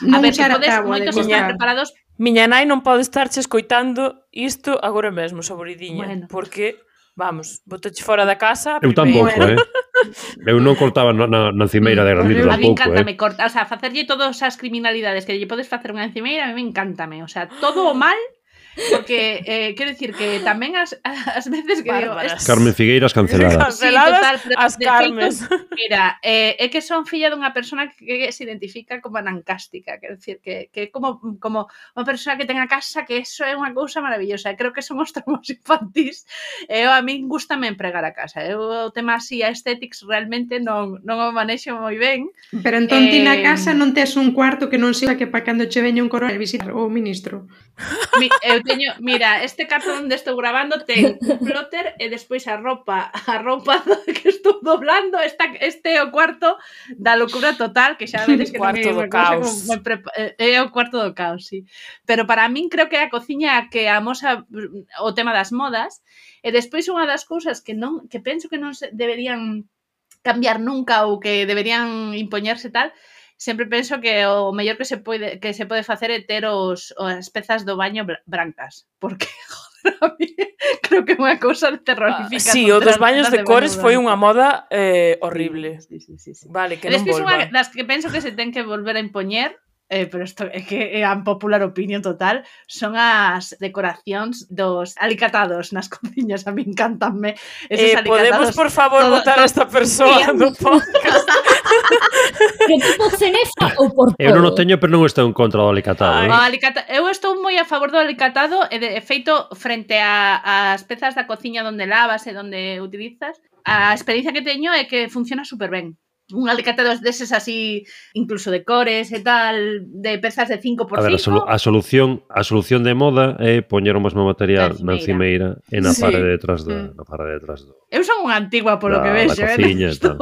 Non a ver, que usar a podes, táboa de moitos están cortar. preparados. Miña nai non pode estarche escoitando isto agora mesmo, saboridiña, Bueno. porque, vamos, botache fora da casa. Eu tampouco, primeiro. Eu non cortaba na encimeira de granito Eu- A mí tampouco, encántame cortar, o sea, facerlle todas as criminalidades que lle podes facer unha encimeira, a mí encántame, o sea, todo o mal, porque quero dicir que tamén as veces que digo, Bárbaras. Carmen Figueiras canceladas. Sí, Canceladas total, pero as de Carmes. Mira, é que son filla dunha persona que se identifica como anancástica, quero dicir que é como unha persona que ten a casa que eso é unha cousa maravillosa, creo que son os tramos infantís, a min gustame empregar a casa, eu o tema así a aesthetics realmente non o manexo moi ben. Pero entón ti na casa non tes un cuarto que non sexa que para cando che veña un coronel visitar o ministro. Eu teño, mira, este carto onde estou grabando ten un plotter e despois a roupa que estou doblando, este é o cuarto da locura total, que xa vedes que non é Cuarto do unha cousa caos. como moi é o cuarto do caos, sí. Pero para min creo que é a cociña que amosa o tema das modas, e despois unha das cousas que penso que non se deberían cambiar nunca ou que deberían impoñerse tal, sempre penso que o mellor que se pode facer é ter as pezas do baño brancas, porque joder, a mí creo que é unha cousa terrorífica. Sí, o dos baños de cores foi unha moda horrible. Sí. Vale, que E non despois unha volva. das que penso que se ten que volver a impoñer, pero isto é que é a popular opinión total, son as decoracións dos alicatados nas cociñas, a mí encantanme esos Podemos, alicatados. por favor, votar a esta persoa no podcast? Que tipo cenefa ou por todo? Eu non o teño, pero non estou en contra do alicatado. Eu estou moi a favor do alicatado e de feito frente ás pezas da cociña onde lavas e onde utilizas, a experiencia que teño é que funciona super ben. Un alicatado deses así, incluso de cores e tal, de pezas de 5x5. A ver, a solución de moda é poñer o mesmo material na encimeira e na Sí. parede detrás do Eu son unha antigua polo que vexo, cociña e tal.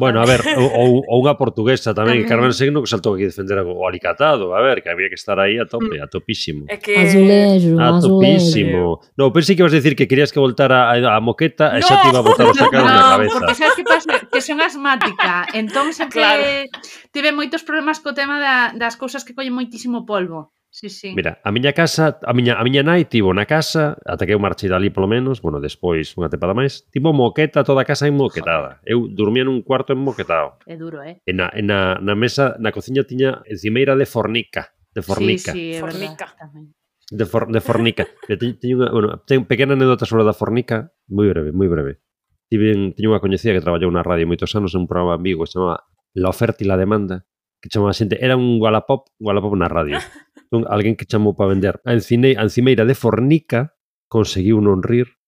Bueno, a ver, ou unha portuguesa tamén, que Carmen Signo que saltou aquí a defender o alicatado, a ver, que había que estar aí a tope, a topísimo. É que... Azulejo, A azulejo. topísimo. No, pensei que ibas a decir que querías que voltara a moqueta e xa te iba a botar os sacados na cabeza. Porque sabes que pasa? Que son asmática. Entón sempre tive moitos problemas co tema das cousas que collen moitísimo polvo. Sí. Mira, a miña casa, a miña nai tivo na casa, ata que eu marchei dali polo menos, bueno, despois unha tempada máis, tivo moqueta, toda a casa enmoquetada. Eu dormía nun cuarto enmoquetado. É duro, E na mesa, na cociña tiña encimeira de fornica. Sí, é Fornica. verdade. De fornica. Teño pequena anécdota sobre a da fornica, moi breve. Tiño unha coñecida que traballou na radio moitos anos en un programa en Vigo que se chamaba La Oferta e la Demanda, que chamaba xente, era un Wallapop na radio. Alguén que chamou para vender a encimeira de fornica conseguiu non rir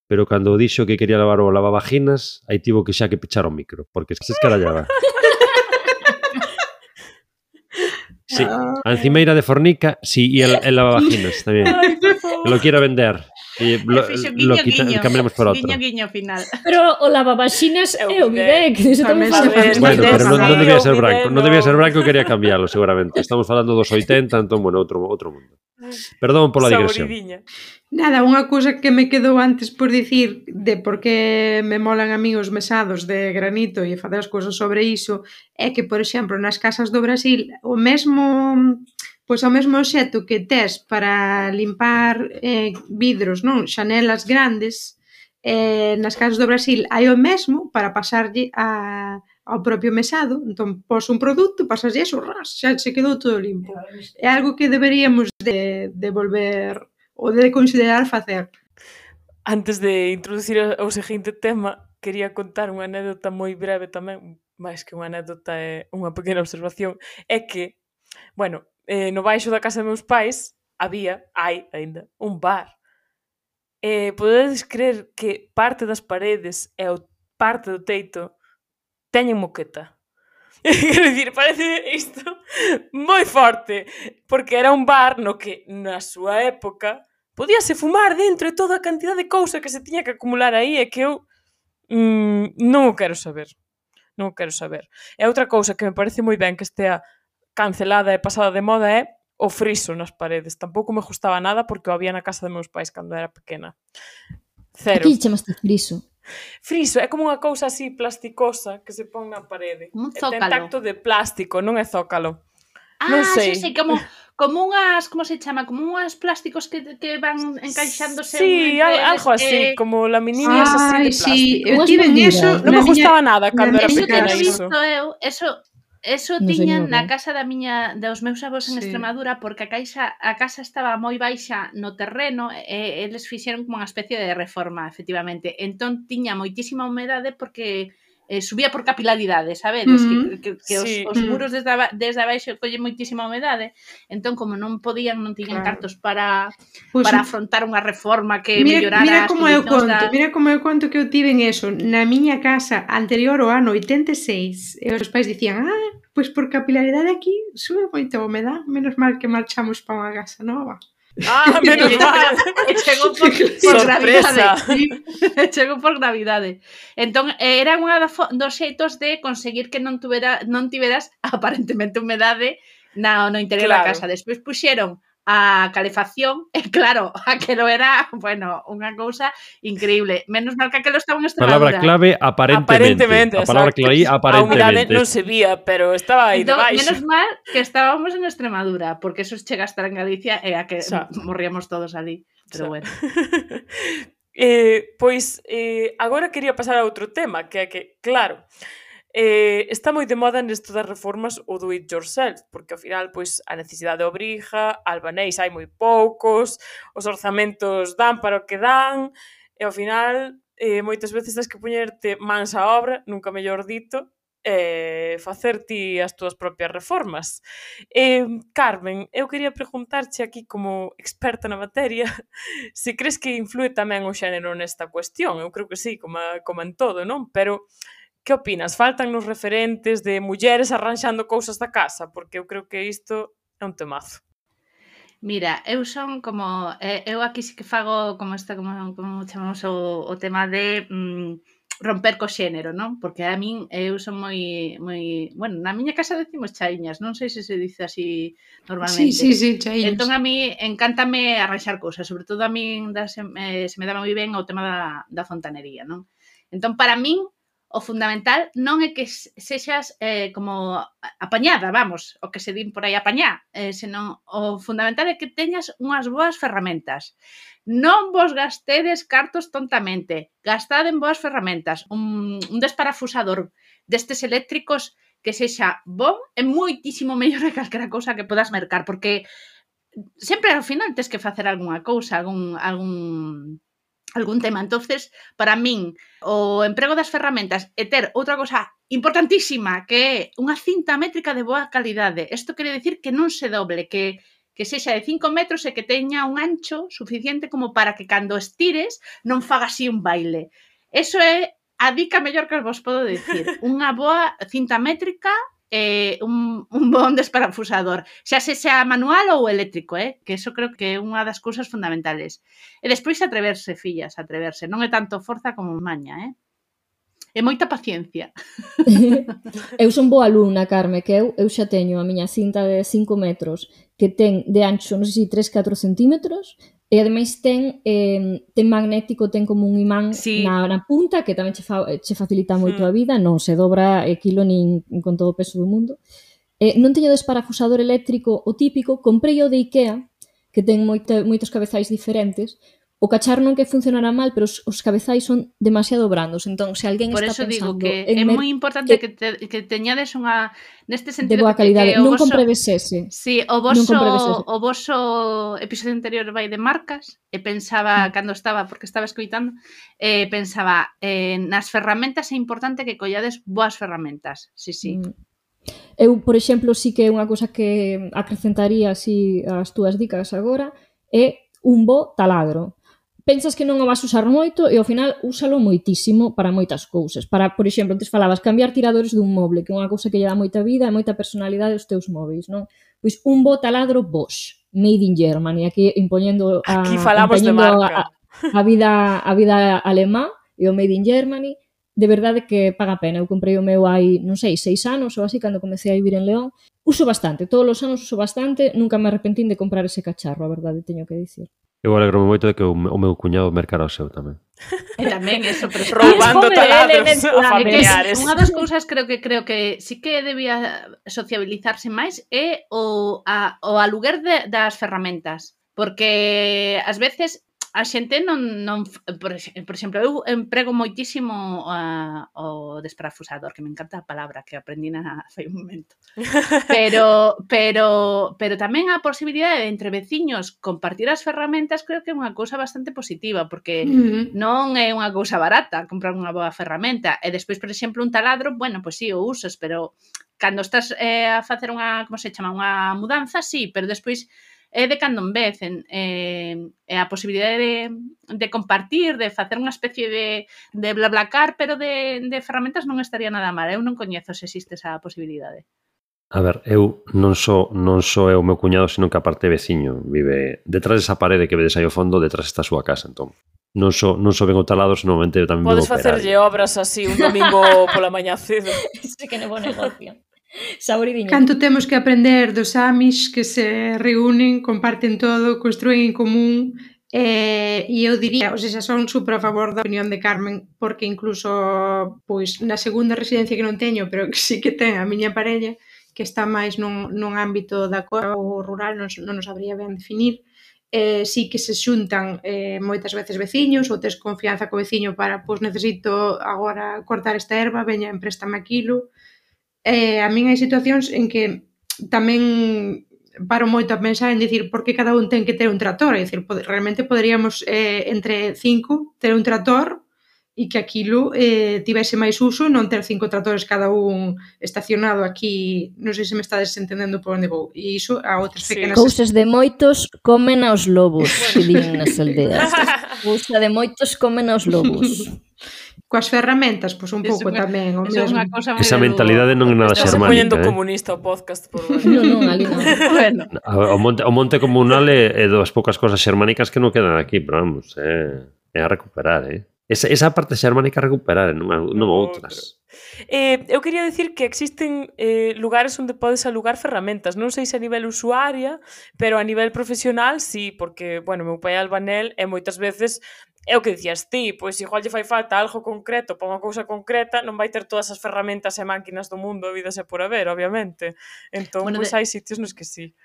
pero cando dixo que quería lavar o lavavaginas, aí tivo que xa que pechar o micro, porque se escarallaba. Sí, a encimeira de Fornica, sí, e el lavavaginas tamén. Que lo quiero vender. E cambiamos por outro. Guiño final. Pero o lavavaxinas é o bidec, iso tamén se faz. Bueno, pero non debía ser branco. Non debía ser branco, no. quería cambiarlo, seguramente. Estamos falando dos 80, entón, bueno, outro mundo. Perdón pola digresión. Saboridiña. Nada, unha cousa que me quedou antes por dicir de por que me molan a mí os mesados de granito e facer as cousas sobre iso é que, por exemplo, nas casas do Brasil o mesmo obxecto que tes para limpar vidros, non, xanelas grandes, nas casas do Brasil hai o mesmo para pasarlle ao propio mesado. Entón, pos un produto, pasaslle eso, xa se quedou todo limpo. É algo que deberíamos de volver ou de considerar facer. Antes de introducir o seguinte tema, quería contar unha anécdota moi breve tamén, máis que unha anécdota, é unha pequena observación, é que, bueno, no baixo da casa dos meus pais hai aínda, un bar. Podedes creer que parte das paredes e parte do teito teñen moqueta. Quero dicir, parece isto moi forte, porque era un bar no que, na súa época, podíase fumar dentro de toda a cantidad de cousa que se tiña que acumular aí e que eu non o quero saber. Non o quero saber. E outra cousa que me parece moi ben que estea cancelada e pasada de moda é o friso nas paredes. Tampouco me gustaba nada porque o había na casa de meus pais cando era pequena. Cero. Aquí chamaste friso. Friso é como unha cousa así plasticosa que se pon na parede. Un Ten zócalo. tacto de plástico, non é zócalo. Non sei. Sí, como unhas, como se chama? Como unhas plásticos que van encaixándose. Sí, algo así, como laminillas así de Sí, plástico. eu tive eso. Non me gustaba nada cando era miña Eso que pequena he iso. visto eu, eso Non sei tiñan nin na o que é. casa dos meus avós en Sí. Extremadura, porque a casa estaba moi baixa no terreno e eles fixeron como unha especie de reforma, efectivamente. Entón tiña moitísima humedade porque subía por capilaridade, sabedes? Que Sí. os muros desde abaixo collen moitísima humedade. Entón, como non tiñan Claro. cartos para Pois, afrontar unha reforma que mira mellorara as como eu condicións conto, mira como eu conto que eu tive en eso. Na miña casa anterior ao ano 86, e os pais dicían, pois por capilaridade aquí sube moita humedad, menos mal que marchamos para unha casa nova. Menos mal. E chegou por Sorpresa. gravidade. Chegou por gravidade. Entón, era unha dos xeitos de conseguir que non tiveras aparentemente humedade no interior da Claro. casa. Despois puxeron a calefacción e claro, aquelo era, bueno, unha cousa increíble. Menos mal que aquelo estaba en Palabra Extremadura. clave, aparentemente. A palabra exacto. clave, A humedade aparentemente. non se vía, pero estaba aí Entón, debaixo. menos mal que estábamos en Extremadura, porque eso chega a estar en Galicia e a que Xa. morríamos todos ali. Pero Xa. bueno. Pois, agora quería pasar a outro tema, que é que, claro, está moi de moda nesto das reformas o do it yourself, porque ao final pois a necesidade obriga, albanéis hai moi poucos, os orzamentos dan para o que dan, e ao final moitas veces tens que poñerte mans á obra, nunca mellor dito, facer ti as túas propias reformas. Carmen, eu quería preguntarche aquí como experta na materia se crees que influe tamén o xénero nesta cuestión. Eu creo que sí, como en todo, non? Pero que opinas? Faltan nos referentes de mulleres arranxando cousas da casa? Porque eu creo que isto é un temazo. Mira, eu son como... eu aquí sí que fago como chamamos o tema de romper co xénero, non? Porque a min eu son moi... Bueno, na miña casa decimos chaiñas, non sei se dice así normalmente. Sí, chaíñas. Entón a mí encántame arranxar cousas, sobre todo a min se me dá moi ben o tema da fontanería, non? Entón, para min, o fundamental non é que sexas como apañada, vamos, o que se din por aí apañá, senón o fundamental é que teñas unhas boas ferramentas. Non vos gastedes cartos tontamente, gastade en boas ferramentas. Un desparafusador destes eléctricos que sexa bon é moitísimo mellor que calquera cousa que podas mercar, porque sempre ao final tes que facer algunha cousa, algún tema. Entonces, para min, o emprego das ferramentas e ter outra cosa importantísima que é unha cinta métrica de boa calidade. Isto quere dicir que non se doble, que que sexa de 5 metros e que teña un ancho suficiente como para que cando estires non faga así un baile. Eso é a dica mellor que vos podo dicir. Unha boa cinta métrica e un bon desparafusador. Xa sexa manual ou eléctrico, que eso creo que é unha das cousas fundamentales. E despois atreverse, fillas, atreverse. Non é tanto forza como maña, E moita paciencia. Eu son boa alumna, Carme, que eu xa teño a miña cinta de 5 metros que ten de ancho, non sei se 3-4 centímetros, e ademais ten magnético, ten como un imán na punta que tamén che facilita moito a vida, non se dobra quilo nin con todo o peso do mundo. Non teño desparafusador eléctrico o típico, comprei o de Ikea, que ten moitos cabezais diferentes. O cacharro non que funcionará mal, pero os cabezais son demasiado brandos, entón se alguén por está pensando... Por eso digo que é moi importante que teñades unha... Neste sentido, de boa calidade. Non compredes ese. Sí, o voso episodio anterior vai de marcas, e pensaba, cando estaba, porque estaba escoitando, pensaba, nas ferramentas é importante que collades boas ferramentas. Sí. Eu, por exemplo, sí que é unha cousa que acrecentaría así as túas dicas agora, é un bo taladro. Pensas que non o vas usar moito e ao final úsalo moitísimo para moitas cousas. Para, por exemplo, antes falabas cambiar tiradores dun moble, que é unha cousa que lle dá moita vida e moita personalidade aos teus móveis, non? Pois un bo taladro Bosch, made in Germany, aquí impoñendo aquí falamos de marca. A vida alemá e o made in Germany, de verdade que paga a pena. Eu comprei o meu hai, non sei, 6 anos ou así, cando comecei a vivir en León. Uso bastante, todos os anos uso bastante, nunca me arrepentín de comprar ese cacharro, a verdade, teño que dicir. Eu alegro moito de que o meu cuñado mercara o seu tamén. E tamén eso, pero roubando taladros a familiares. Unha das cousas creo que sí que debía sociabilizarse máis é o aluguer das ferramentas, porque ás veces a xente non por exemplo, eu emprego moitísimo o desparafusador, que me encanta a palabra que aprendí fai un momento. Pero tamén a posibilidade de entre veciños compartir as ferramentas creo que é unha cousa bastante positiva, porque non é unha cousa barata comprar unha boa ferramenta. E despois, por exemplo, un taladro, bueno, pois sí, o usas, pero cando estás a facer unha, como se chama, unha mudanza, sí, pero despois é de cando en vez, a posibilidade de compartir, de facer unha especie de blablacar, pero de ferramentas non estaría nada mal. Eu non coñezo se existe esa posibilidade. A ver, eu non só é o meu cuñado, sino que aparte veciño vive detrás desa parede que vedes aí ao fondo, detrás está a súa casa, entón. Non só ven o talado, senón eu tamén podes facerlle obras así un domingo pola mañá cedo. Sí que é bo negocio. Saboridinho. Canto temos que aprender dos Amish que se reúnen, comparten todo, construen en común, e eu diría, son super a favor da opinión de Carmen, porque incluso pois na segunda residencia que non teño, pero que sí que ten a miña parella, que está máis nun ámbito da coa ou rural, non nos sabría ben definir, sí que se xuntan moitas veces veciños, ou tes confianza co veciño para, pois necesito agora cortar esta erva, veña, empréstame aquilo. A min hai situacións en que tamén paro moito a pensar en dicir por que cada un ten que ter un tractor, é dicir, realmente poderíamos entre 5 ter un tractor e que aquilo tivese máis uso, non ter 5 tractores cada un estacionado aquí, non sei se me estades entendendo por onde vou, e iso a outras pequenas... Cousas de moitos comen aos lobos, que din nas aldeas. Cousa de moitos comen aos lobos. Coas ferramentas, pois un pouco tamén o mesmo. Esa mentalidade non é nada xermánica. Estás poñendo comunista o podcast por Non, ali non. Bueno. O monte comunal é das poucas cosas xermánicas que non quedan aquí, pero vamos, é a recuperar, Esa parte xermánica a recuperar, non outras. Eu quería dicir que existen lugares onde podes alugar ferramentas, non sei se a nivel usuaria, pero a nivel profesional sí, porque, bueno, meu pai é albanel e moitas veces é o que dicías ti, pois igual lle fai falta algo concreto para unha cousa concreta, non vai ter todas as ferramentas e máquinas do mundo habidas e por haber, obviamente. Entón, pois hai sitios nos que sí.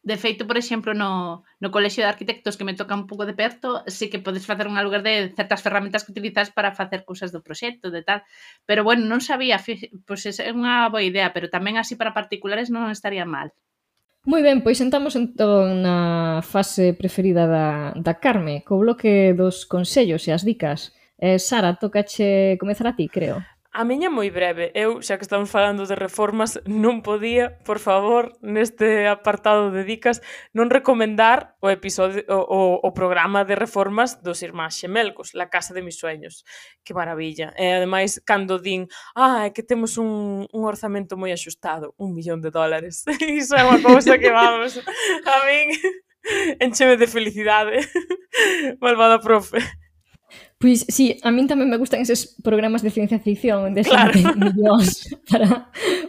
De feito, por exemplo, no colexio de arquitectos que me toca un pouco de perto, sí que podes facer unha lugar de certas ferramentas que utilizas para facer cousas do proxecto, de tal. Pero, bueno, non sabía, pois é unha boa idea, pero tamén así para particulares non estaría mal. Moi ben, pois entramos entón na fase preferida da Carme, co bloque dos consellos e as dicas. Sara, tócache comezar a ti, creo. A miña moi breve. Eu, xa que estamos falando de reformas, non podía, por favor, neste apartado de dicas, non recomendar o episodio, o programa de reformas dos irmáns xemelgos, La casa de mis sueños. Que maravilla. E, ademais, cando din, é que temos un orzamento moi axustado, $1.000.000. Iso é unha cousa que, vamos, a min encheme de felicidade. Malvada profe. Pois, sí, a min tamén me gustan eses programas de ciencia ficción onde Claro. xente millóns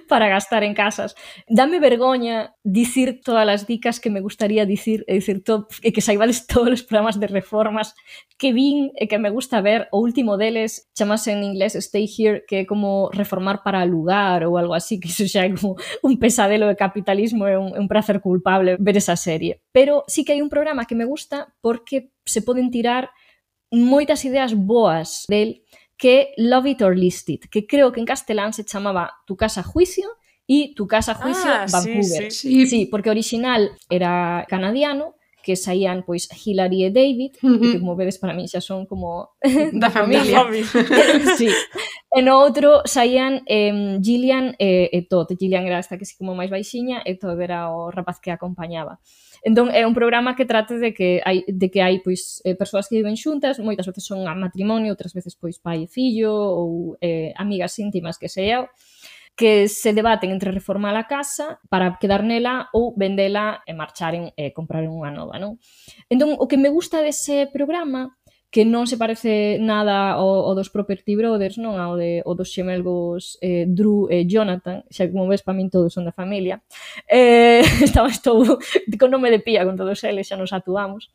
para gastar en casas. Dame vergoña dicir todas as dicas que me gustaría dicir e que saibades todos os programas de reformas que vin e que me gusta ver. O último deles chamase en inglés Stay Here, que é como reformar para alugar ou algo así, que iso xa é como un pesadelo de capitalismo, é un placer culpable ver esa serie. Pero sí que hai un programa que me gusta porque se poden tirar moitas ideas boas del, que Love It or List It, que creo que en castelán se chamaba Tu casa juicio e Tu casa juicio Vancouver. Sí, porque o original era canadiano, que saían pois Hilary e David, que como vedes para mí xa son como da familia. Sí. E no outro saían Gillian e Todd. Gillian era esta que sí como máis baixiña e Todd era o rapaz que a acompañaba. Entón é un programa que trate de que hai pois persoas que viven xuntas, moitas veces son a matrimonio, outras veces pois pai e fillo ou amigas íntimas que sei eu, que se debaten entre reformar a casa para quedar nela ou vendela e marcharen e compraren unha nova, non? Entón, o que me gusta dese programa, que non se parece nada ao dos Property Brothers, non? Ao dos xemelgos Drew e Jonathan, xa que como ves, para min todos son da familia. Estou con nome de pía con todos eles, xa nos atuamos.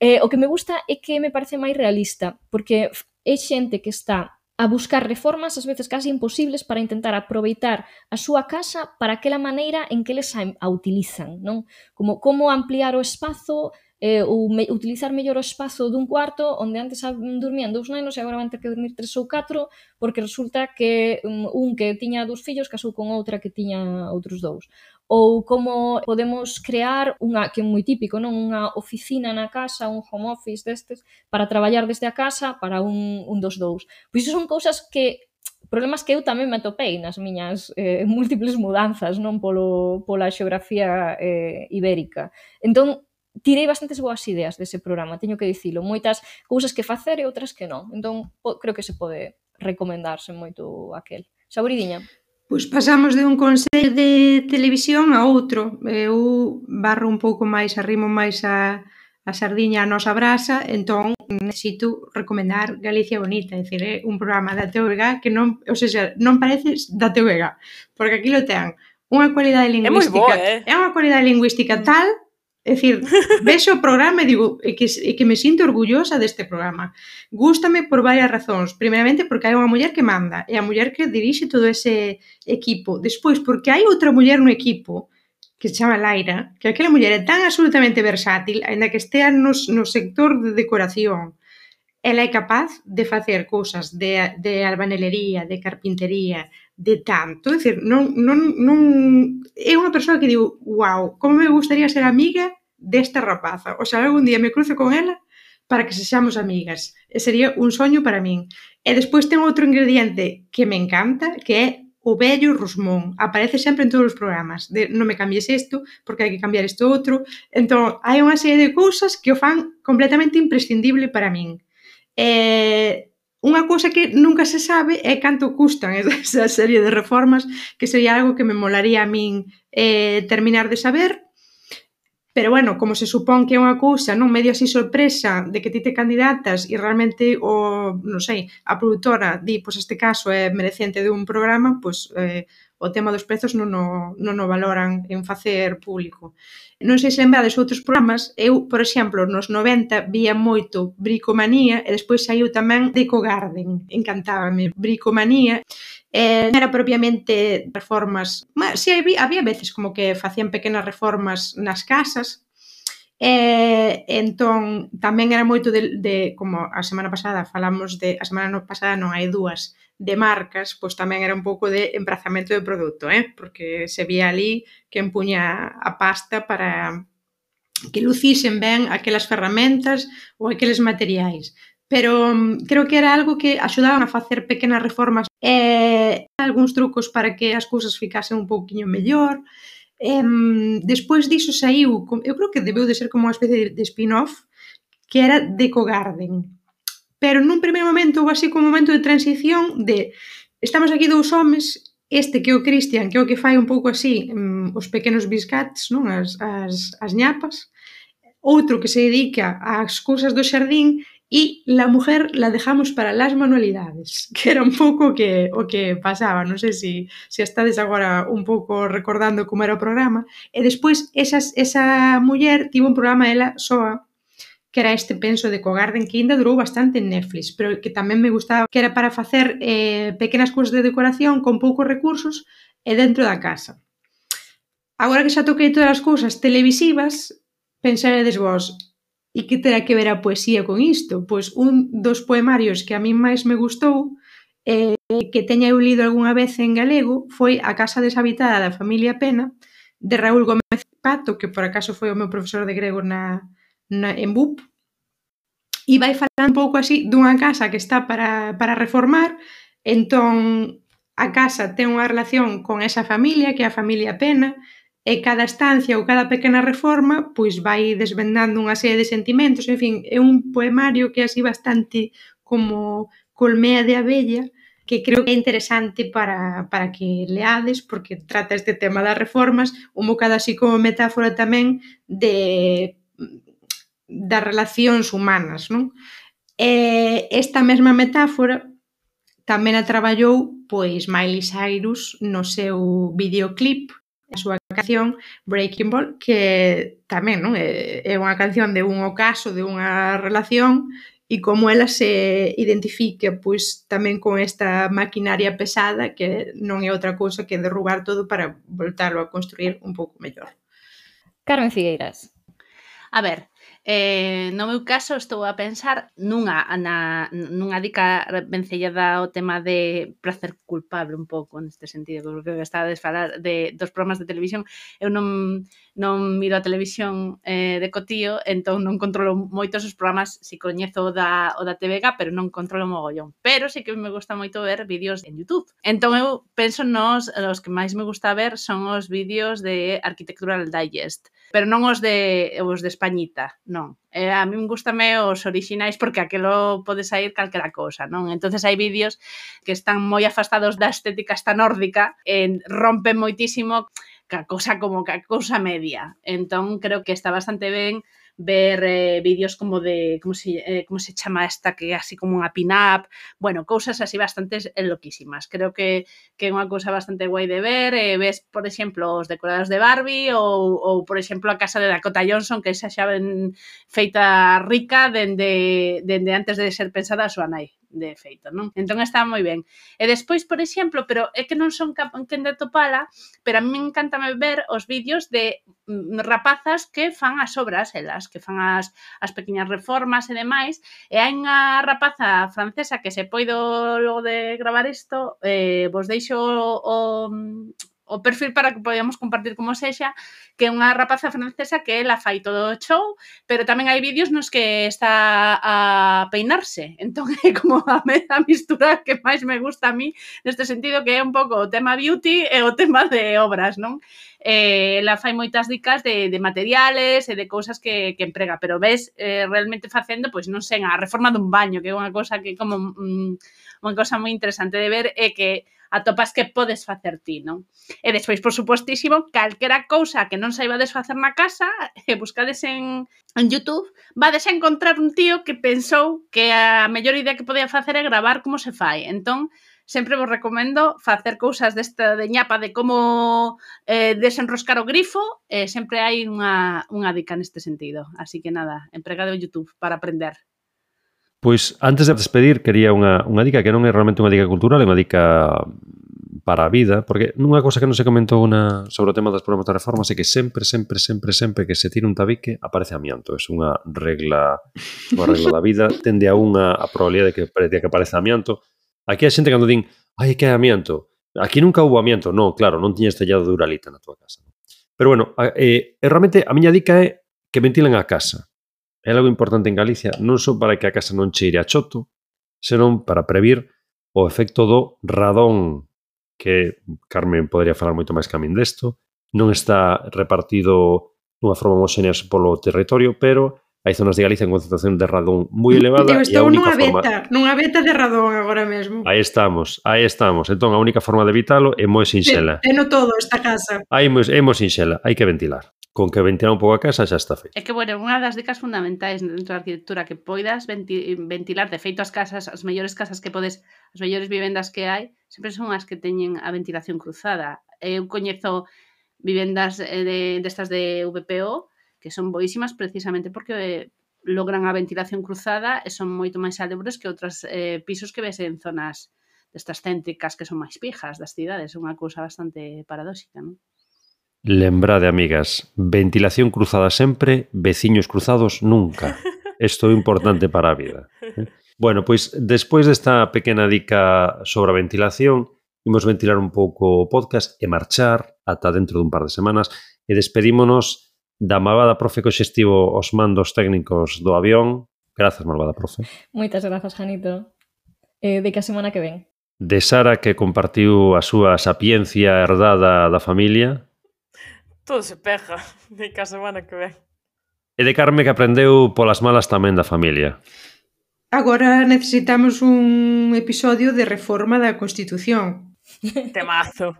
O que me gusta é que me parece máis realista, porque é xente que está a buscar reformas, ás veces casi imposibles, para intentar aproveitar a súa casa para aquela maneira en que eles a utilizan, non? Como ampliar o espazo, ou utilizar mellor o espazo dun cuarto onde antes dormían 2 nenos e agora van ter que dormir 3 ou 4 porque resulta que un que tiña 2 fillos casou con outra que tiña outros 2. Ou como podemos crear que é moi típico, non? Unha oficina na casa, un home office destes, para traballar desde a casa para un dos 2. Pois iso son cousas problemas que eu tamén me atopei nas miñas múltiples mudanzas, non? Pola xeografía ibérica. Entón, tirei bastantes boas ideas dese programa, teño que dicilo, moitas cousas que facer e outras que non. Entón, creo que se pode recomendarse moito aquel. Saboridiña? Pois pasamos de un consello de televisión a outro. Eu barro un pouco máis, arrimo máis a sardiña a nosa brasa, entón necesito recomendar Galicia Bonita, é dicir, é un programa da TVG que non, ou seja, non parece da TVG, porque aquí lo ten unha cualidade lingüística. É unha cualidade lingüística tal. É dicir, vexo o programa e digo que me sinto orgullosa deste programa. Gústame por varias razóns. Primeiramente, porque hai unha muller que manda, e a muller que dirixe todo ese equipo. Despois, porque hai outra muller no equipo, que se chama Laira, que aquela muller é tan absolutamente versátil, aínda que estea no sector de decoración. Ela é capaz de facer cousas de albanelería, de carpintería, de tanto, é dicir, non é unha persoa que digo, wow, como me gustaría ser amiga desta rapaza, o sea, algún día me cruzo con ela para que sexamos amigas, e sería un soño para min. E despois ten outro ingrediente que me encanta, que é o vello Rosmón, aparece sempre en todos os programas, de non me cambies isto, porque hai que cambiar isto outro, entón, hai unha serie de cousas que o fan completamente imprescindible para min. Unha cousa que nunca se sabe é canto custan esa serie de reformas, que sería algo que me molaría a min terminar de saber, pero bueno, como se supón que é unha cousa non medio así sorpresa de que ti te candidatas e realmente non sei, a produtora di, pois este caso é merecente de un programa, pois o tema dos prezos non o valoran en facer público. Non sei se lembrades outros programas, eu, por exemplo, nos 90 vía moito Bricomanía e despois saiu tamén Deco Garden, encantábame Bricomanía. Non era propiamente reformas, si había veces como que facían pequenas reformas nas casas, entón tamén era moito de como a semana pasada falamos a semana pasada non, hai 2 de marcas, pois tamén era un pouco de emprazamento de produto, porque se vía ali que empuña a pasta para que lucisen ben aquelas ferramentas ou aqueles materiais. pero creo que era algo que axudaban a facer pequenas reformas e algúns trucos para que as cousas ficasen un pouquiño mellor. Despois diso saiu, eu creo que debeu de ser como unha especie de spin-off, que era Deco Garden. Pero nun primeiro momento houve así como un momento de transición de estamos aquí dous homes, este que é o Cristian, que é o que fai un pouco así os pequenos biscats, non? As ñapas, outro que se dedica ás cousas do xardín e la mujer la dejamos para las manualidades, que era un pouco o que pasaba, non sei se estades agora un pouco recordando como era o programa, e despois esa muller tivo un programa ela soa, que era este, penso, de Cogarden, que ainda durou bastante en Netflix, pero que tamén me gustaba, que era para facer pequenas cousas de decoración con poucos recursos e dentro da casa. Agora que xa toquei todas as cousas televisivas, pensaredes vos, e que terá que ver a poesía con isto? Pois un dos poemarios que a min máis me gustou, que teña eu lido algunha vez en galego, foi A casa deshabitada da familia Pena, de Raúl Gómez Pato, que por acaso foi o meu profesor de grego en BUP, e vai falar un pouco así dunha casa que está para reformar. Entón a casa ten unha relación con esa familia, que é a familia Pena, e cada estancia ou cada pequena reforma pois vai desvendando unha serie de sentimentos. En fin, é un poemario que é así bastante como colmea de abella, que creo que é interesante para que leades, porque trata este tema das reformas, un bocado así como metáfora tamén das relacións humanas, non? Esta mesma metáfora tamén a traballou pois Miley Cyrus no seu videoclip, a súa canción Breaking Ball, que tamén non é unha canción de un ocaso, de unha relación, e como ela se identifica pois tamén con esta maquinaria pesada que non é outra cousa que derrubar todo para voltarlo a construir un pouco mellor. Carmen Figueiras. A ver, no meu caso estou a pensar nunha dica vencellada ao tema de placer culpable un pouco neste sentido, porque estades a falar dos programas de televisión. Eu non miro a televisión de cotío, entón non controlo moitos os programas, si coñezo o da TVG, pero non controlo mogollón. Pero sí que me gusta moito ver vídeos en YouTube. Entón eu penso os que máis me gusta ver son os vídeos de Architectural Digest, pero non os de Españita, non. A mí gustame os orixinais porque aquelo pode sair calquera cousa, non? Entonces hai vídeos que están moi afastados da estética esta nórdica e rompen moitísimo ca cousa media. Entón creo que está bastante ben ver vídeos como de como se chama esta, que é así como unha pin-up, bueno, cousas así bastante loquísimas. Creo que é unha cousa bastante guai de ver. Ves, por exemplo, os decorados de Barbie ou por exemplo, a casa de Dakota Johnson, que esa xa ven feita rica dende antes de ser pensada a súa nai, de feito, non? Entón está moi ben. E despois, por exemplo, pero é que non son quen de topala, pero a mí me encanta ver os vídeos de rapazas que fan as obras, elas, que fan as pequeñas reformas e demais, e hai unha rapaza francesa que se poido logo de gravar isto, vos deixo o perfil para que podamos compartir como sexa, que é unha rapaza francesa que ela fai todo o show, pero tamén hai vídeos nos que está a peinarse. Entón é como a mistura que máis me gusta a mí neste sentido, que é un pouco o tema beauty e o tema de obras, non? Ela fai moitas dicas de materiales e de cousas que emprega, pero ves realmente facendo, pois non sei, a reforma dun baño, que é unha cousa que como unha cousa moi interesante de ver e que atopas que podes facer ti, non? E despois, por supostísimo, calquera cousa que non saibades facer na casa, buscades en YouTube, vades a encontrar un tío que pensou que a mellor idea que podía facer é gravar como se fai. Entón, sempre vos recomendo facer cousas desta de ñapa de como desenroscar o grifo, e sempre hai unha dica neste sentido. Así que nada, empregade o YouTube para aprender. Pois, antes de despedir, quería unha dica que non é realmente unha dica cultural, é unha dica para a vida, porque nunha cosa que non se comentou sobre o tema das programas de reformas é que sempre que se tira un tabique aparece amianto. É unha regla da vida, tende a probabilidade de que apareza amianto. Aquí a xente cando din, ai, que é amianto? Aquí nunca houve amianto. Non, claro, non tiñes tellado de uralita na tua casa. Pero bueno, realmente a miña dica é que ventilen a casa. é algo importante en Galicia, non só para que a casa non cheire a choto, senón para previr o efecto do radón, que Carmen podría falar moito máis que a min desto. Non está repartido dunha forma homoxénea polo territorio, pero hai zonas de Galicia en concentración de radón moi elevada. Eu e a estou única forma... nunha beta de radón agora mesmo. Aí estamos. Entón, a única forma de evitalo é moi sinxela. Teno todo esta casa. É moi sinxela, hai que ventilar. Con que ventilar un pouco a casa xa está feito. É que, bueno, unha das dicas fundamentais dentro da arquitectura que poidas ventilar, de feito as casas, as mellores casas que podes, as mellores vivendas que hai, sempre son as que teñen a ventilación cruzada. Eu coñezo vivendas destas de VPO que son boísimas precisamente porque logran a ventilación cruzada e son moito máis salubres que outros pisos que ves en zonas destas céntricas que son máis pijas das cidades. É unha cousa bastante paradóxica, non? Lembrade, amigas, ventilación cruzada sempre, veciños cruzados nunca. Isto é importante para a vida. Bueno, pois, despois desta pequena dica sobre a ventilación, imos ventilar un pouco o podcast e marchar ata dentro dun par de semanas e despedímonos da malvada profe que hoxe estivo os mandos técnicos do avión. Grazas, malvada profe. Moitas grazas, Janito. De que a semana que ven. De Sara, que compartiu a súa sapiencia herdada da familia. Todo se peja, de que a semana que ven. E de Carme, que aprendeu polas malas tamén da familia. Agora necesitamos un episodio de reforma da Constitución. Temazo.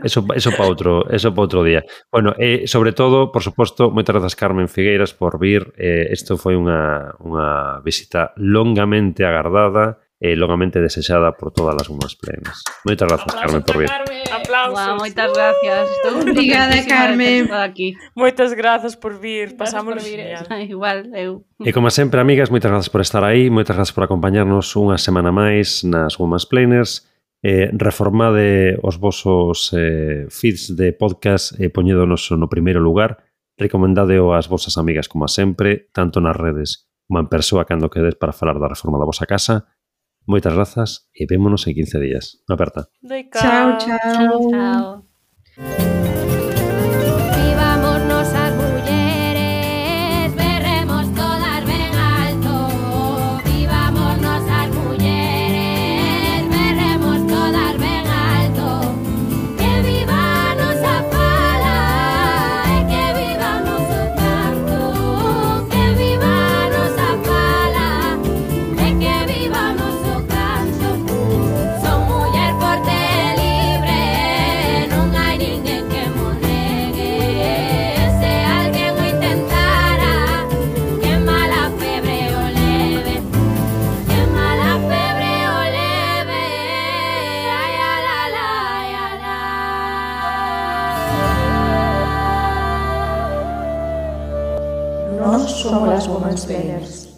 Eso para outro día. Bueno, e sobre todo, por suposto, moitas grazas Carmen Figueiras por vir. Isto foi unha visita longamente agardada e longamente desexada por todas as Women's Plenas. Moitas grazas, Carmen, por vir. Aplausos. Wow, moitas gracias. Estou Obrigada, Carmen. Aquí. Moitas grazas por vir. Pasámoslo por vir. genial. Igual, eu. E como sempre, amigas, moitas grazas por estar aí, moitas grazas por acompañarnos unha semana máis nas Women's Planers. Reformade os vosos feeds de podcast e poñédonos no primeiro lugar. Recomendadeo ás vosas amigas como a sempre, tanto nas redes como en persoa cando quedes para falar da reforma da vosa casa. Moitas grazas e vémonos en 15 días. Unha aperta. Chao, chao. Chao, chao. Vivámonos as mulleres, berremos todas ben alto. Vivámonos as mulleres, berremos todas ben alto. Que viva a nosa fala e que viva o noso canto. Que viva a nosa fala e que viva o noso canto. Son muller forte e libre, non hai ninguén que mo negue. Se alguén o intentara, que mala febre o leve. Que mala febre o leve. Ai, ala, la, ai, ala. Nós somos las Women's Players.